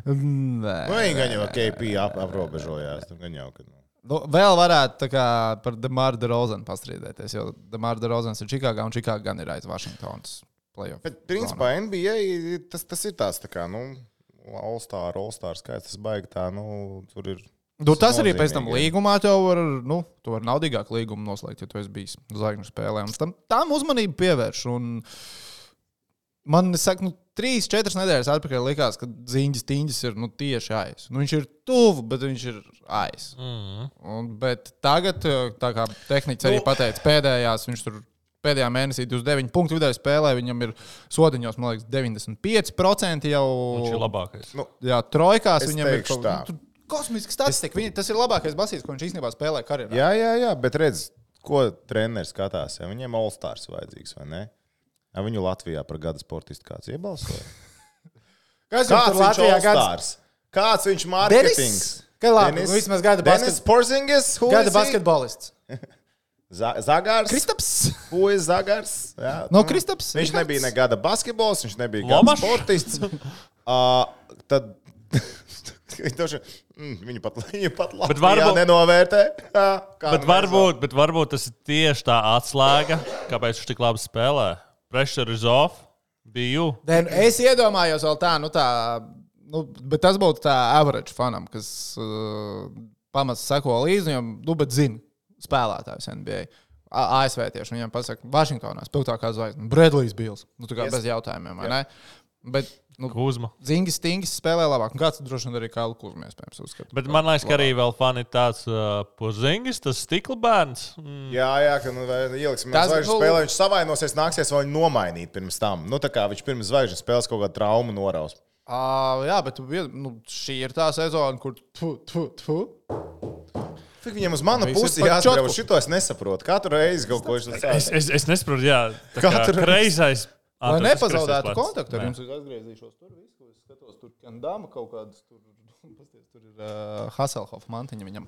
Nē. Nu, viņi gan jau K P ap, aprobežojās. Tur gan jau, ka... Nu, vēl varētu tā kā par DeMar DeRozanu pastrīdēties, jo DeMar DeRozans ir Čikāgā un Čikāga gan ir aiz Vašingtonas playoff. Bet, principā, N B A tas, tas ir tāds tā kā, nu, All-Star, All-Star skaits, tas baigi tā, nu, tur ir... Nu, tas arī pēc tam līgumā tev var, nu, tu var naudīgāk līgumu noslēgt, ja tu esi bijis zvaigžņu spēlē. Un tam, tam uzmanību pievērš. Un man, es saku, nu, trīs, četras nedēļas atpakaļ likās, ka Ziņģis Tiņģis ir, nu, tieši aiz. Nu, viņš ir tuvu, bet viņš ir aiz. Mm-hmm. Un, bet tagad, tā kā tehniķis arī pateica, pēdējās, viņš tur pēdējā mēnesī divdesmit deviņi punktu vidēji spēlē, viņam ir sodiņos, man liekas, deviņdesmit pieci procenti jau. Viņš ir labākais. Nu, jā, trojkās viņam ir kaut kā. Kosmiska statistika. Viņa, tas ir labākais basīts, ko viņš īstenībā spēlē karjerā. Jā, jā, jā, bet redz, ko treneris skatās. Ja viņiem All-Stars vajadzīgs, vai ne? Ja viņu Latvijā par gada sportistu kāds iebalsoja? Kas kāds viņš All-Stars? Gads... Kāds viņš marketings? Kā labi, Denis, nu vismaz gada Denis Porzingis? Gada basketbolists. Zagars? Kristaps? Who is Zagars? Jā, no Kristaps? Viņš nebija ne gada basketbols, viņš nebija gada sportists. uh, tad... Viņu pat, viņu pat Latvijā varbūt, nenovērtē. Jā, bet, varbūt, bet varbūt tas ir tieši tā atslēga, kāpēc viņš tik labi spēlē. Pressure is off, biju. Es iedomājos vēl tā, nu tā, nu, bet tas būtu tā average fanam, kas uh, pamats seko līdzi, viņam, nu, bet zina spēlētājus N B A. A S V tieši, viņam pasaka, Vašingtonā spilgtākā zvaigzne, Bradley's Bills, nu, tā kā yes. bez jautājumiem, vai ne? Bet, nu, Kuzma. Zingis Tingis spēlē labāk. Un kāds droši vien arī Kailu Kuzmu iespējams uzskata. Bet man liekas, ka arī vēl fani tāds uh, Porzingis, tas stikla bērns. Mm. Jā, jā, ka nu, ieliksim zvaigžņu spēlē, viņš savainosies, nāksies vēl viņu nomainīt pirms tam. Nu, tā kā viņš pirms zvaigžņu spēles kaut kādu traumu noraus. Uh, jā, bet nu, šī ir tā sezona, kur tu, tu, tu. Fik viņam uz manu pusi jāsaka, šito es nesaprotu. Katru reizi kaut ko viņš saka. Es, es, es nesaprotu, jā. Tā kā kreisais. Lai ah, nepazaudētu kontaktu ar jums, es atgriezīšos tur visu, es skatos, tur Kendama kaut kādas, tur, tur ir uh, Hasselhoff mantiņa viņam.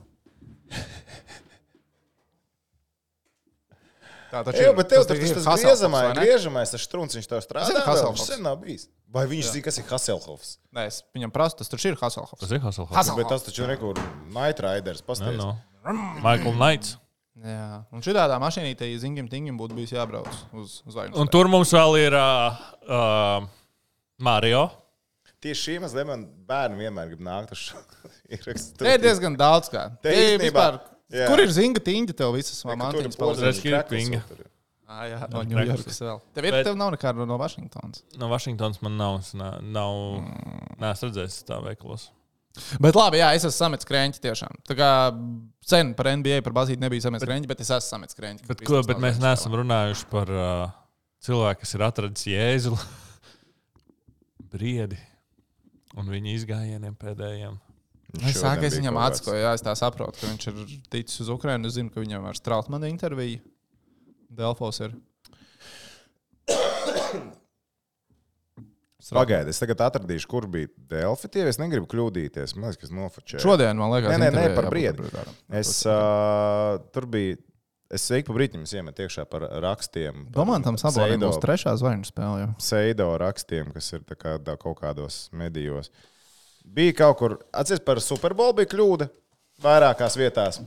Tā taču ir. Jā, bet tev tas, tas, tas griežamais, griežamais, tas štruns, viņš tev strādā, viņš sen nav bijis. Vai viņš zina, kas ir Hasselhoffs? Nē, es viņam prasu, tas taču ir Hasselhoffs. Tas ir Hasselhoffs. Hasselhoff. Bet tas taču ir nekur Night Riders, pasties. No, no. Michael Knights. Jā, un šitādā mašīnītē, ja Zingim Tingim būtu bijis jābrauc uz zvaigžņu. Un tur mums vēl ir uh, uh, Mario. Tieši šī mazliet man bērni vienmēr grib nākt uz šo ierakstu. Te ir diezgan daudz kā. Te īstenībā, kur ir Zinga Tingļa tev visas mantiņas palīdzēs? Ah, jā, no Ņujorkas vēl. Tev ir, Bet, tev nav nekāda no Vašingtonas? No Vašingtonas man nav, nav, nav mm. neesmu redzējis tā veikalos. Bet labi, jā, es esmu samets krēņķi tiešām. Tā kā sen par N B A, par bazīti nebija samets krēņķi, bet es esmu samets krēņķi. Bet, ko, bet mēs neesam runājuši par uh, cilvēku, kas ir atradis Jēzuli, briedi un viņa izgājieniem pēdējiem. Es sāku, es viņam atskoju, jā, es tā saprotu, ka viņš ir ticis uz Ukrainu. Es zinu, ka viņam ar Strautmanu interviju Delfos ir. Pagaidi, es tagad atradīšu, kur bija Delfi. Tie es negribu kļūdīties. Man liekas, kas nofočēja. Šodien, man liekas, nē, nē, nē, par briedi. Es, uh, tur bija, es ik pa brītim iemet iekšā par rakstiem. Domantam Sabonim būs trešā zvaigžņu spēle. Seido rakstiem, kas ir tā kā tā, kaut kādos medijos. Bija kaut kur, atceries par Super Bowl bija kļūda vairākās vietās.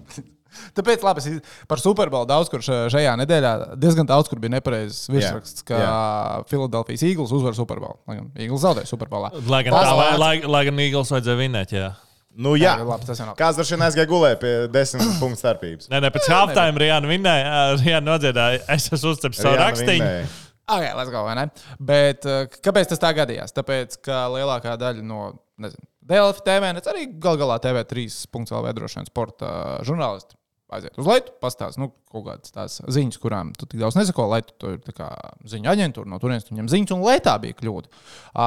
Tāpēc labi, par Super Bowl daudz kur šajā nedēļā diezgan daudz kur bija nepareizs virsraksts, ka Philadelphia Eagles uzvar Super Bowl. Lai gan Eagles zaudēja Super Bowlā. Lai gan, tā, lai, lai, lai gan Eagles vajadzēja vinēt, jā. Nu, jā, jā labi, tas jau nav. Kāds droši vien aizgāja gulēt pie desmit punktu starpības. Nē, nē, pēc halftime Rijāna vinnēja. Rijāna nodziedāja, es esmu uzceps savu rakstiņu. Ok, let's go, vai ne? Bet kāpēc tas tā gadījās? Tāpēc, ka lielākā daļa no, nezinu, Delfi, T V, net arī gal galā T V trīs punktu L V droši vien sporta žurnālisti aiziet uz Leitu, pastāst, nu, kaut kādas tās ziņas, kurām tu tik daudz nesako. Leitu, tu ir tā kā ziņu aģentūra, no turienes tu ņem ziņas, un Leitā bija kļūda.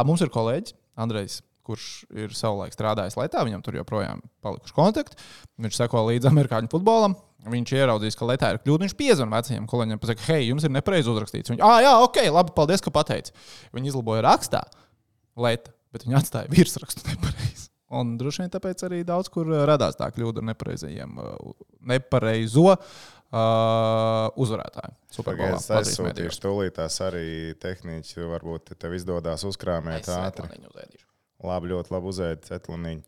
Mums ir kolēģis, Andrejs, kurš ir savulaik strādājis Leitā, viņam tur joprojām palikuši kontakti. Viņš seko līdz amerikāņu futbolam. Viņš ieraudzīs, ka Leitā ir kļūda. Viņš piezvan vecajiem kolēģiem, pasaka, hei, jums ir nepareizi uzrakstīts. Viņi, ah, jā, ok, labi, paldies, ka pateici. Viņi izlaboja rakstā Leita, bet viņi atstāja virsrakstu nepareizi. Un droši vien tāpēc arī daudz kur radās tā kļūda ar nepareizajiem, nepareizo uh, uzvarētāju. Superbolā. Es aizsūtīšu tūlītās arī tehniķi, varbūt tev izdodās uzkrāmēt ātri. Labi, ļoti labi uzēd cetluniņu.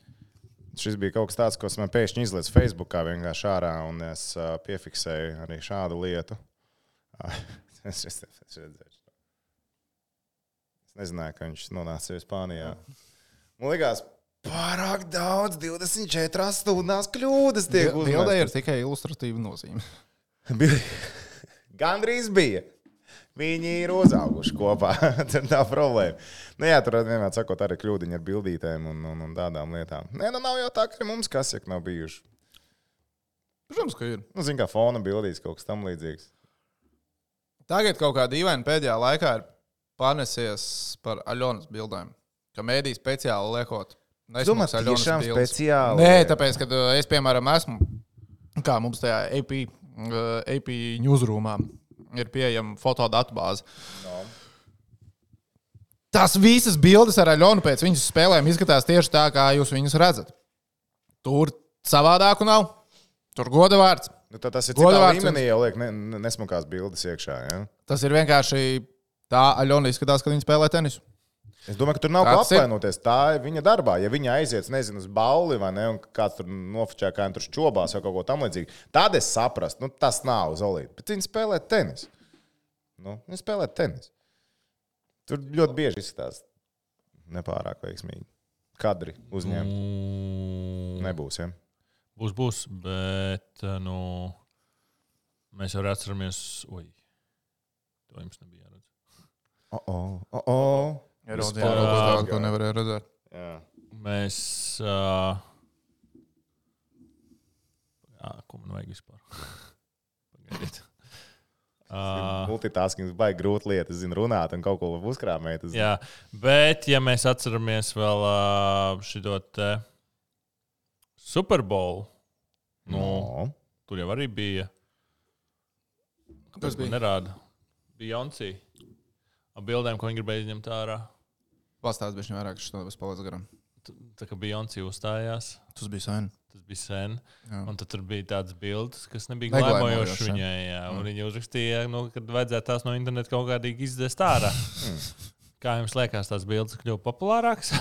Šis bija kaut kas tāds, ko es man pēkšņi izlieku Facebookā vienkārši ārā, un es uh, piefiksēju arī šādu lietu. es, es, es, es nezināju, ka viņš nonāca jau Spānijā. Man likās, pārāk daudz, divdesmit četras stundās kļūdas tiek uzmestas. Bildē ir tikai ilustratīva nozīme. Gandrīz bija. Viņi ir uzauguši kopā. Tur tā problēma. Nu jā, tur vienmēr sakot arī kļūdiņi ar bildītēm un, un, un tādām lietām. Nē, nu nav jau tā, ka mums kasjek nav bijuši. Protams, ka ir. Nu, zin kā fona bildīs, kaut kas tam līdzīgs. Tagad kaut kā dīvaini pēdējā laikā ir pārnesies par Aļonas bildēm. Ka mēdī speciāli liekot. Domāju, tiešām speciāli. Nē, tāpēc, kad es, piemēram, esmu, kā mums tajā A P, A P newsroomā ir pieejama fotodatubāze. No. Tas visas bildes ar Aļonu pēc viņas spēlēm izskatās tieši tā, kā jūs viņus redzat. Tur savādāku nav. Tur goda vārds. Nu, tas ir citā līmenī jau liek ne, nesmukās bildes iekšā, ja? Tas ir vienkārši tā Aļona izskatās, kad viņa spēlē tenisu. Es domāju, ka tur nav ko apvainoties. Tā ir viņa darbā. Ja viņa aiziet, nezinu, uz bauli vai ne, un kāds tur nofočē, kā viņa tur šķobās vai kaut ko tam līdzīgi, tad es saprastu, nu tas nav Zolīte. Bet viņa spēlē tenis. Nu, viņa spēlē tenis. Tur ļoti bieži izskatās nepārāk veiksmīgi. Kadri uzņemt. Mm. Nebūs, ja? Būs, būs, bet, nu, mēs jau atceramies, oi, to jums nebija jāredz. O, o, o, o. Ieraudzījām kaut ko tādu, ko nevarēja redzēt. Jā. Mēs... Uh... Jā, ko man vajag vispār? Pagaidiet. Uh... Multitaskings baigi grūti lieta, es zinu, runāt un kaut ko uzkrāmēt. Jā, bet ja mēs atceramies vēl uh, šito te Super Bowl, nu, no. Tur jau arī bija... Kas bija? Nerāda. Beyoncé. Ar bildēm, ko viņi gribēja izņemt ārā. Pastāst bišķi vairāk, ka šito bez palīdz garam. Tā kā Beyoncé uzstājās. Tas bija sen. Tas bija sen. Jā. Un tad tur bija tādas bildes, kas nebija glēmojošas viņai. Jā. Un mm. Viņa uzrakstīja, nu, kad vajadzētu tās no interneta kaut kādīgi izdēst ārā. Kā jums liekas, tās bildes kļuva populārākas?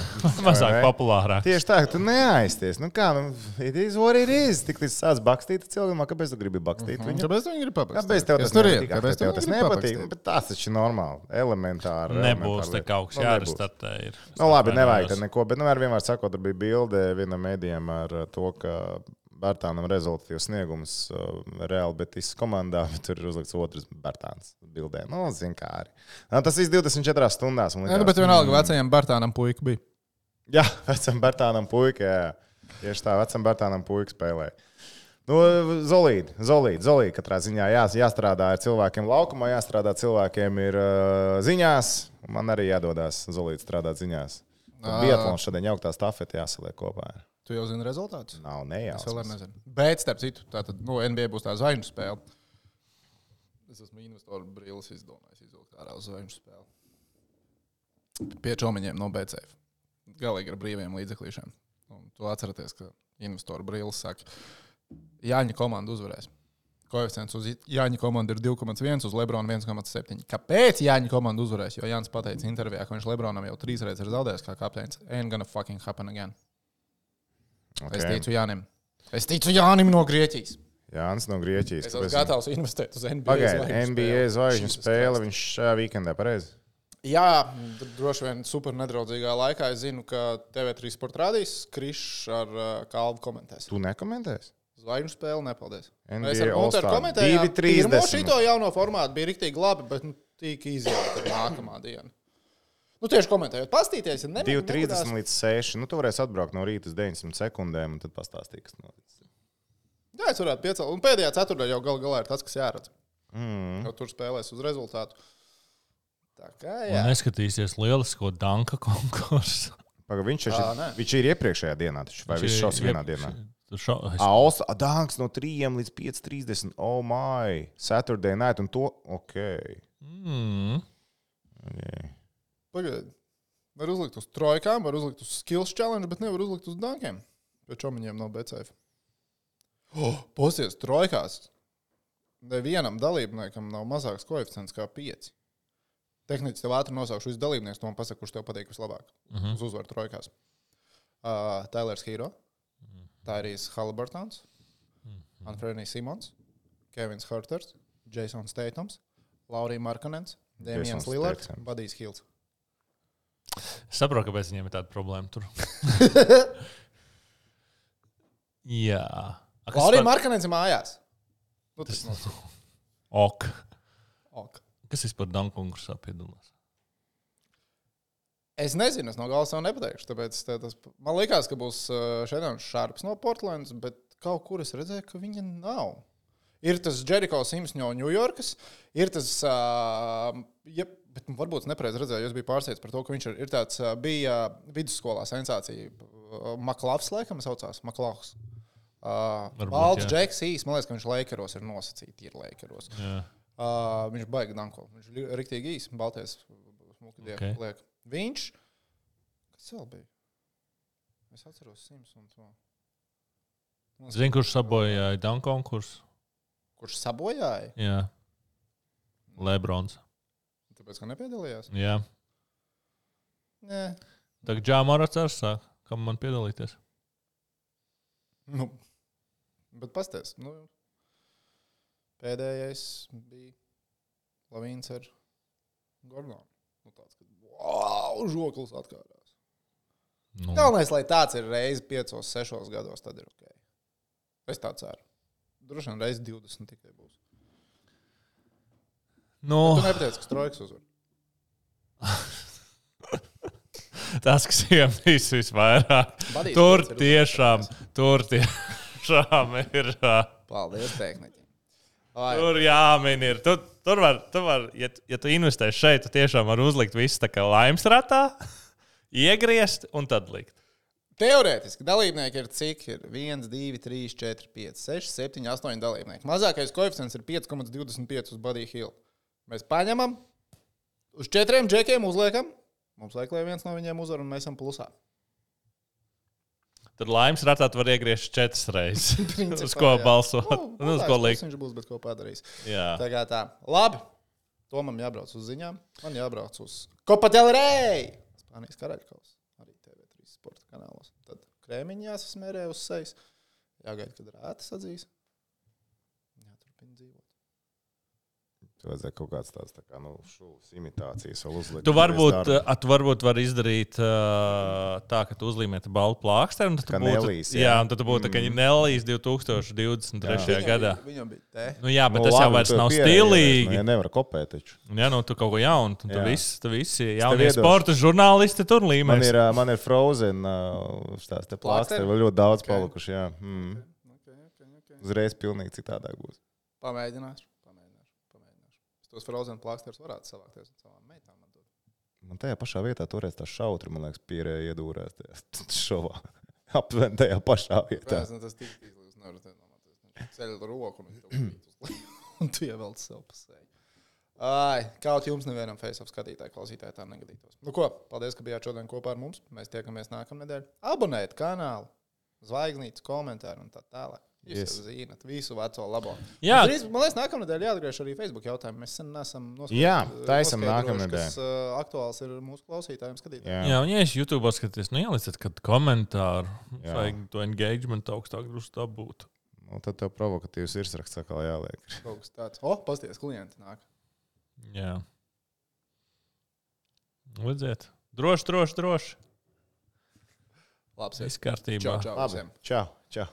Mazāk populārākas. Tieši tā, ka tu neaizties. Nu kā, nu, it is what it is. Tik līdz sāc bakstīt cilvēkam, kāpēc tu gribi bakstīt viņu? Kāpēc tu viņu gribi papakstīt? Kāpēc tev tas nepatīk? Kāpēc tev tas nepatīk? Bet tas taču normāli, elementāri. Nebūs te kaut kas jārestartē. Nu labi, nevajag tad neko, bet nu ar vienmēr sakot, tur bija bilde vienam mēdījam ar to, ka Bērtānam rezultatīvs sniegums uh, reāli Betis komandā, bet tur ir uzlikts otrs Bērtāns bildē. Nu, zin kā arī. Nu, tas viss divdesmit četrās stundās. Jā, bet vienalga vecajam Bērtānam puika bija. Jā, vecam Bērtānam puika, jā. Tieši tā, vecam Bērtānam puika spēlēja. Nu, Zolīdi, Zolīdi, Zolīdi katrā ziņā jā, jāstrādā ar cilvēkiem laukumā, jāstrādā cilvēkiem ir uh, ziņās. Man arī jādodās Zolīdi strādāt ziņās. Biatlons šodien jauktā stafeti jāsaliek kopā. Tu jau zini rezultātus? Nav nejauks. Es vēl nezinu. Bet, starp citu, tātad, nu, N B A būs tā zvaigžņu spēle. Es esmu investoru brīlis izdomājis izvilkt ārā uz zvaigžņu spēli. Pie čomiņiem no B C F. Galīgi ar brīviem līdzeklīšiem. Un tu atceraties, ka investoru brīlis saka, Jāņa komanda uzvarēs. Koeficients uz Jāņa komandu ir divi komats viens, uz Lebrona viens komats septiņi. Kāpēc Jāņa komanda uzvarēs? Jo Jānis pateica intervijā, ka viņš Lebronam jau trīs reizes ir zaudējis kā kapteinis. Ain't gonna fucking happen again. Okay. Es ticu Jānim. Es ticu Jānim no Grieķijas. Jānis no Grieķijas. Es esmu gatavs investēt uz N B A Pagaid, N B A zvaigžņu spēle. Viņš šajā weekendā pareizi? Jā, droši vien super nedraudzīgā laikā. Es zinu, ka T V trīs sporta rādīs Krišs ar uh, Kalvu komentēs. Tu nekomentēsi? Zvaigžņu spēle, nepaldies. N B A Mēs ar Gunteru komentējām. Pirmo šito jauno formātu bija riktīgi labi, bet nu, tika izjauta nākamā diena. Nu, tieši komentējot, pastīties, ja divi trīsdesmit līdz seši. Nu, tu varēsi atbraukt no rīta uz deviņsimt sekundēm un tad pastāstīt, kas noticis. Jā, es varētu piecelt. Un pēdējā ceturtdaļā jau gal galā ir tas, kas jāredz. Mm. Jau tur spēlēs uz rezultātu. Tā kā, jā. Un neskatīsies lielisko danka konkursu. Paga, viņš, Ā, ir, viņš ir iepriekšējā dienā, taču, vai viņš šaus vienā dienā? Šo, es... Alsa, danks no trījiem līdz pieci trīsdesmit. Oh my. Saturday night un to. Ok. Mm. okay. Pagaid. Var uzlikt uz trojkām, var uzlikt uz skills challenge, bet nevar uzlikt uz dankiem. Pēc čomiņiem nav B C F. Oh, posies, trojkās. Nevienam dalībniekam nav mazāks koeficients kā pieci. Tehniski tev ātri nosaukšu visu dalībnieku, to man pasaka, kurš tev patīk vislabāk. Uh-huh. Uz uzvaru trojkās. Uh, Tylers Hero, uh-huh. Tyrese Halliburtons, uh-huh. Anthony Simons, Kevins Hurters, Jasons Statums, Laurija Markanens, Damians Lillards, Budijs Hills. Es saprotu, kāpēc viņiem ir tāda problēma tur. Jā. Laurija Markanens ir mājās. Nu, tas tas... Ok. Ok. Kas ir par danku konkursā piedalās? Es nezinu, es no galvas jau nepateikšu. Tāpēc tas, man liekas, ka būs Šedons Šarps no Portlandas, bet kaut kur es redzēju, ka viņa nav. Ir tas Jericho Sims no Ņujorkas, ir tas, uh, ja, bet varbūt es nepareizi redzēju, jo es biju pārsteigts par to, ka viņš ir, ir tāds, uh, bija vidusskolā sensācija. Uh, Maklavs, laikam, saucās, Maklavs. Uh, Balts Džeks Īs, man liekas, ka viņš Lakeros ir nosacīti, ir Lakeros. Jā. Uh, viņš baigi danko, viņš ir riktīgi īs, balties smuki dievi Okay. liek. Viņš, kas vēl bija? Es atceros Sims un to. Zini, kurš sabojāja danku konkursu? Kurš sabojāja? Jā. Lebrons. Tāpēc, ka nepiedalījās? Jā. Nē. Tagad Džāmarats ar sāk. Kam man piedalīties? Nu, bet pasties, nu, pēdējais bija Lavīns ar Gordonu. Nu, tāds, ka, wow, žoklis atkārās. Nu. Galvenais, lai tāds ir reizi piecos, sešos gados, tad ir ok. Es tā ceru. Droši vien reizi divdesmit tikai būs. Nu. Bet tu nepateici, ka Trojkas uzvar. Tas, kas viņam viss visvairāk. Badīs, Tur ir tiešām, uzvarētājs. tur tiešām ir. Paldies, tehniķi. Tur jāmin ir. Tu, tur var, tu var, ja, ja tu investē šeit, tu tiešām var uzlikt visu tā kā laimes ratā, iegriezt un tad likt. Teorētiski dalībnieki ir cik? Ir viens, divi, trīs, četri, pieci, seši, septiņi, astoņi dalībnieki. Mazākais koeficients ir pieci komats divdesmit pieci uz Buddy Hill. Mēs paņemam, uz četriem džekiem uzliekam. Mums vajag, lai viens no viņiem uzvar, un mēs esam plusā. Tad laimes ratā tu var iegriezt četras reizes. Uz ko balsot? Nu, Un uz ko likt? Viņš būs, bet ko padarīs. Jā. Tā kā tā. Labi. Tomam jābrauc uz ziņām. Man jābrauc uz Copa del Rey. Spānijas karaļkaus. Arī T V trīs sporta kanālos. Tad krēmiņi jāsasmērē uz sejas. Jāgaida, kad rētas atzīs. Jāturpina dzīvot. Tu vajadzēja kaut kāds tāds tā kā, nu, šūs imitācijas vēl uzlikt. Tu varbūt, tu varbūt var izdarīt uh, tā, ka tu uzlīmēti baltu plāksteri. Kā Nelijas, jā. Jā, un tad tu būtu mm. tā kā Nelijas divi tūkstoši divdesmit trešajā gadā. Viņam bija te. Nu jā, bet Nu, tas jau labi, vairs tu nav pierējies, stilīgi. Nu, ja nevar kopēt taču. Jā, nu tu kaut ko jaunu. Tu Jā. visi, tu visi jaunie iedošu. sporta žurnālisti tur Man līmēs. ir, ā, man ir Frozen, uh, tās te plāksteri, vēl ļoti daudz Okay. palikuši, jā. Mm. Okay, okay, okay. Uzreiz pilnīgi citādāk būs. Pamēģināšu. Pamēģināšu. Pamēģināšu. Es tos Frozen plāksters varētu savākties ar savām meitām. Man tajā pašā vietā toreiz tā šautri, man liekas, pierēja iedūrēs tajā šovā. Aptuveni tajā pašā vietā. Jā, tas tik izlīdz, nevar te nomāties. Ceļ roku un tev krīt uz leju. Un tu ievelc sev pa seju. Ai, kaut jums nevienam face-off skatītāji, klausītāji tā negadītos. Nu ko, paldies, ka bijāt šodien kopā ar mums. Mēs tiekamies nākamnedēļ. Abonējiet kanālu, zvaigznītes, komentāru un tā tālāk. Jūs Yes. jau zināt, visu veco labo. Jā. Drīz, man liekas, nākamnedēļ jāatgriež arī Facebook jautājumu. Mēs sen nesam noskaidrojuši. Jā, taisam noskaidrojuši, nākamnedēļ. Kas uh, aktuāls ir mūsu klausītājiem skatītājiem. Jā. Jā, un ja es YouTube skaties, nu ieliciet kādu komentāru. Jā. Vajag to engagement augstāk drusku dabūt. Nu, tad tev provokatīvs virsraksts atkal jāliek. Kaut kas tāds. O, pasties, klienti nāk. Jā. Lidziet. Droši, droši, droši. Labs. Viss kārtībā. Čau, čau. Labi. Čau, čau.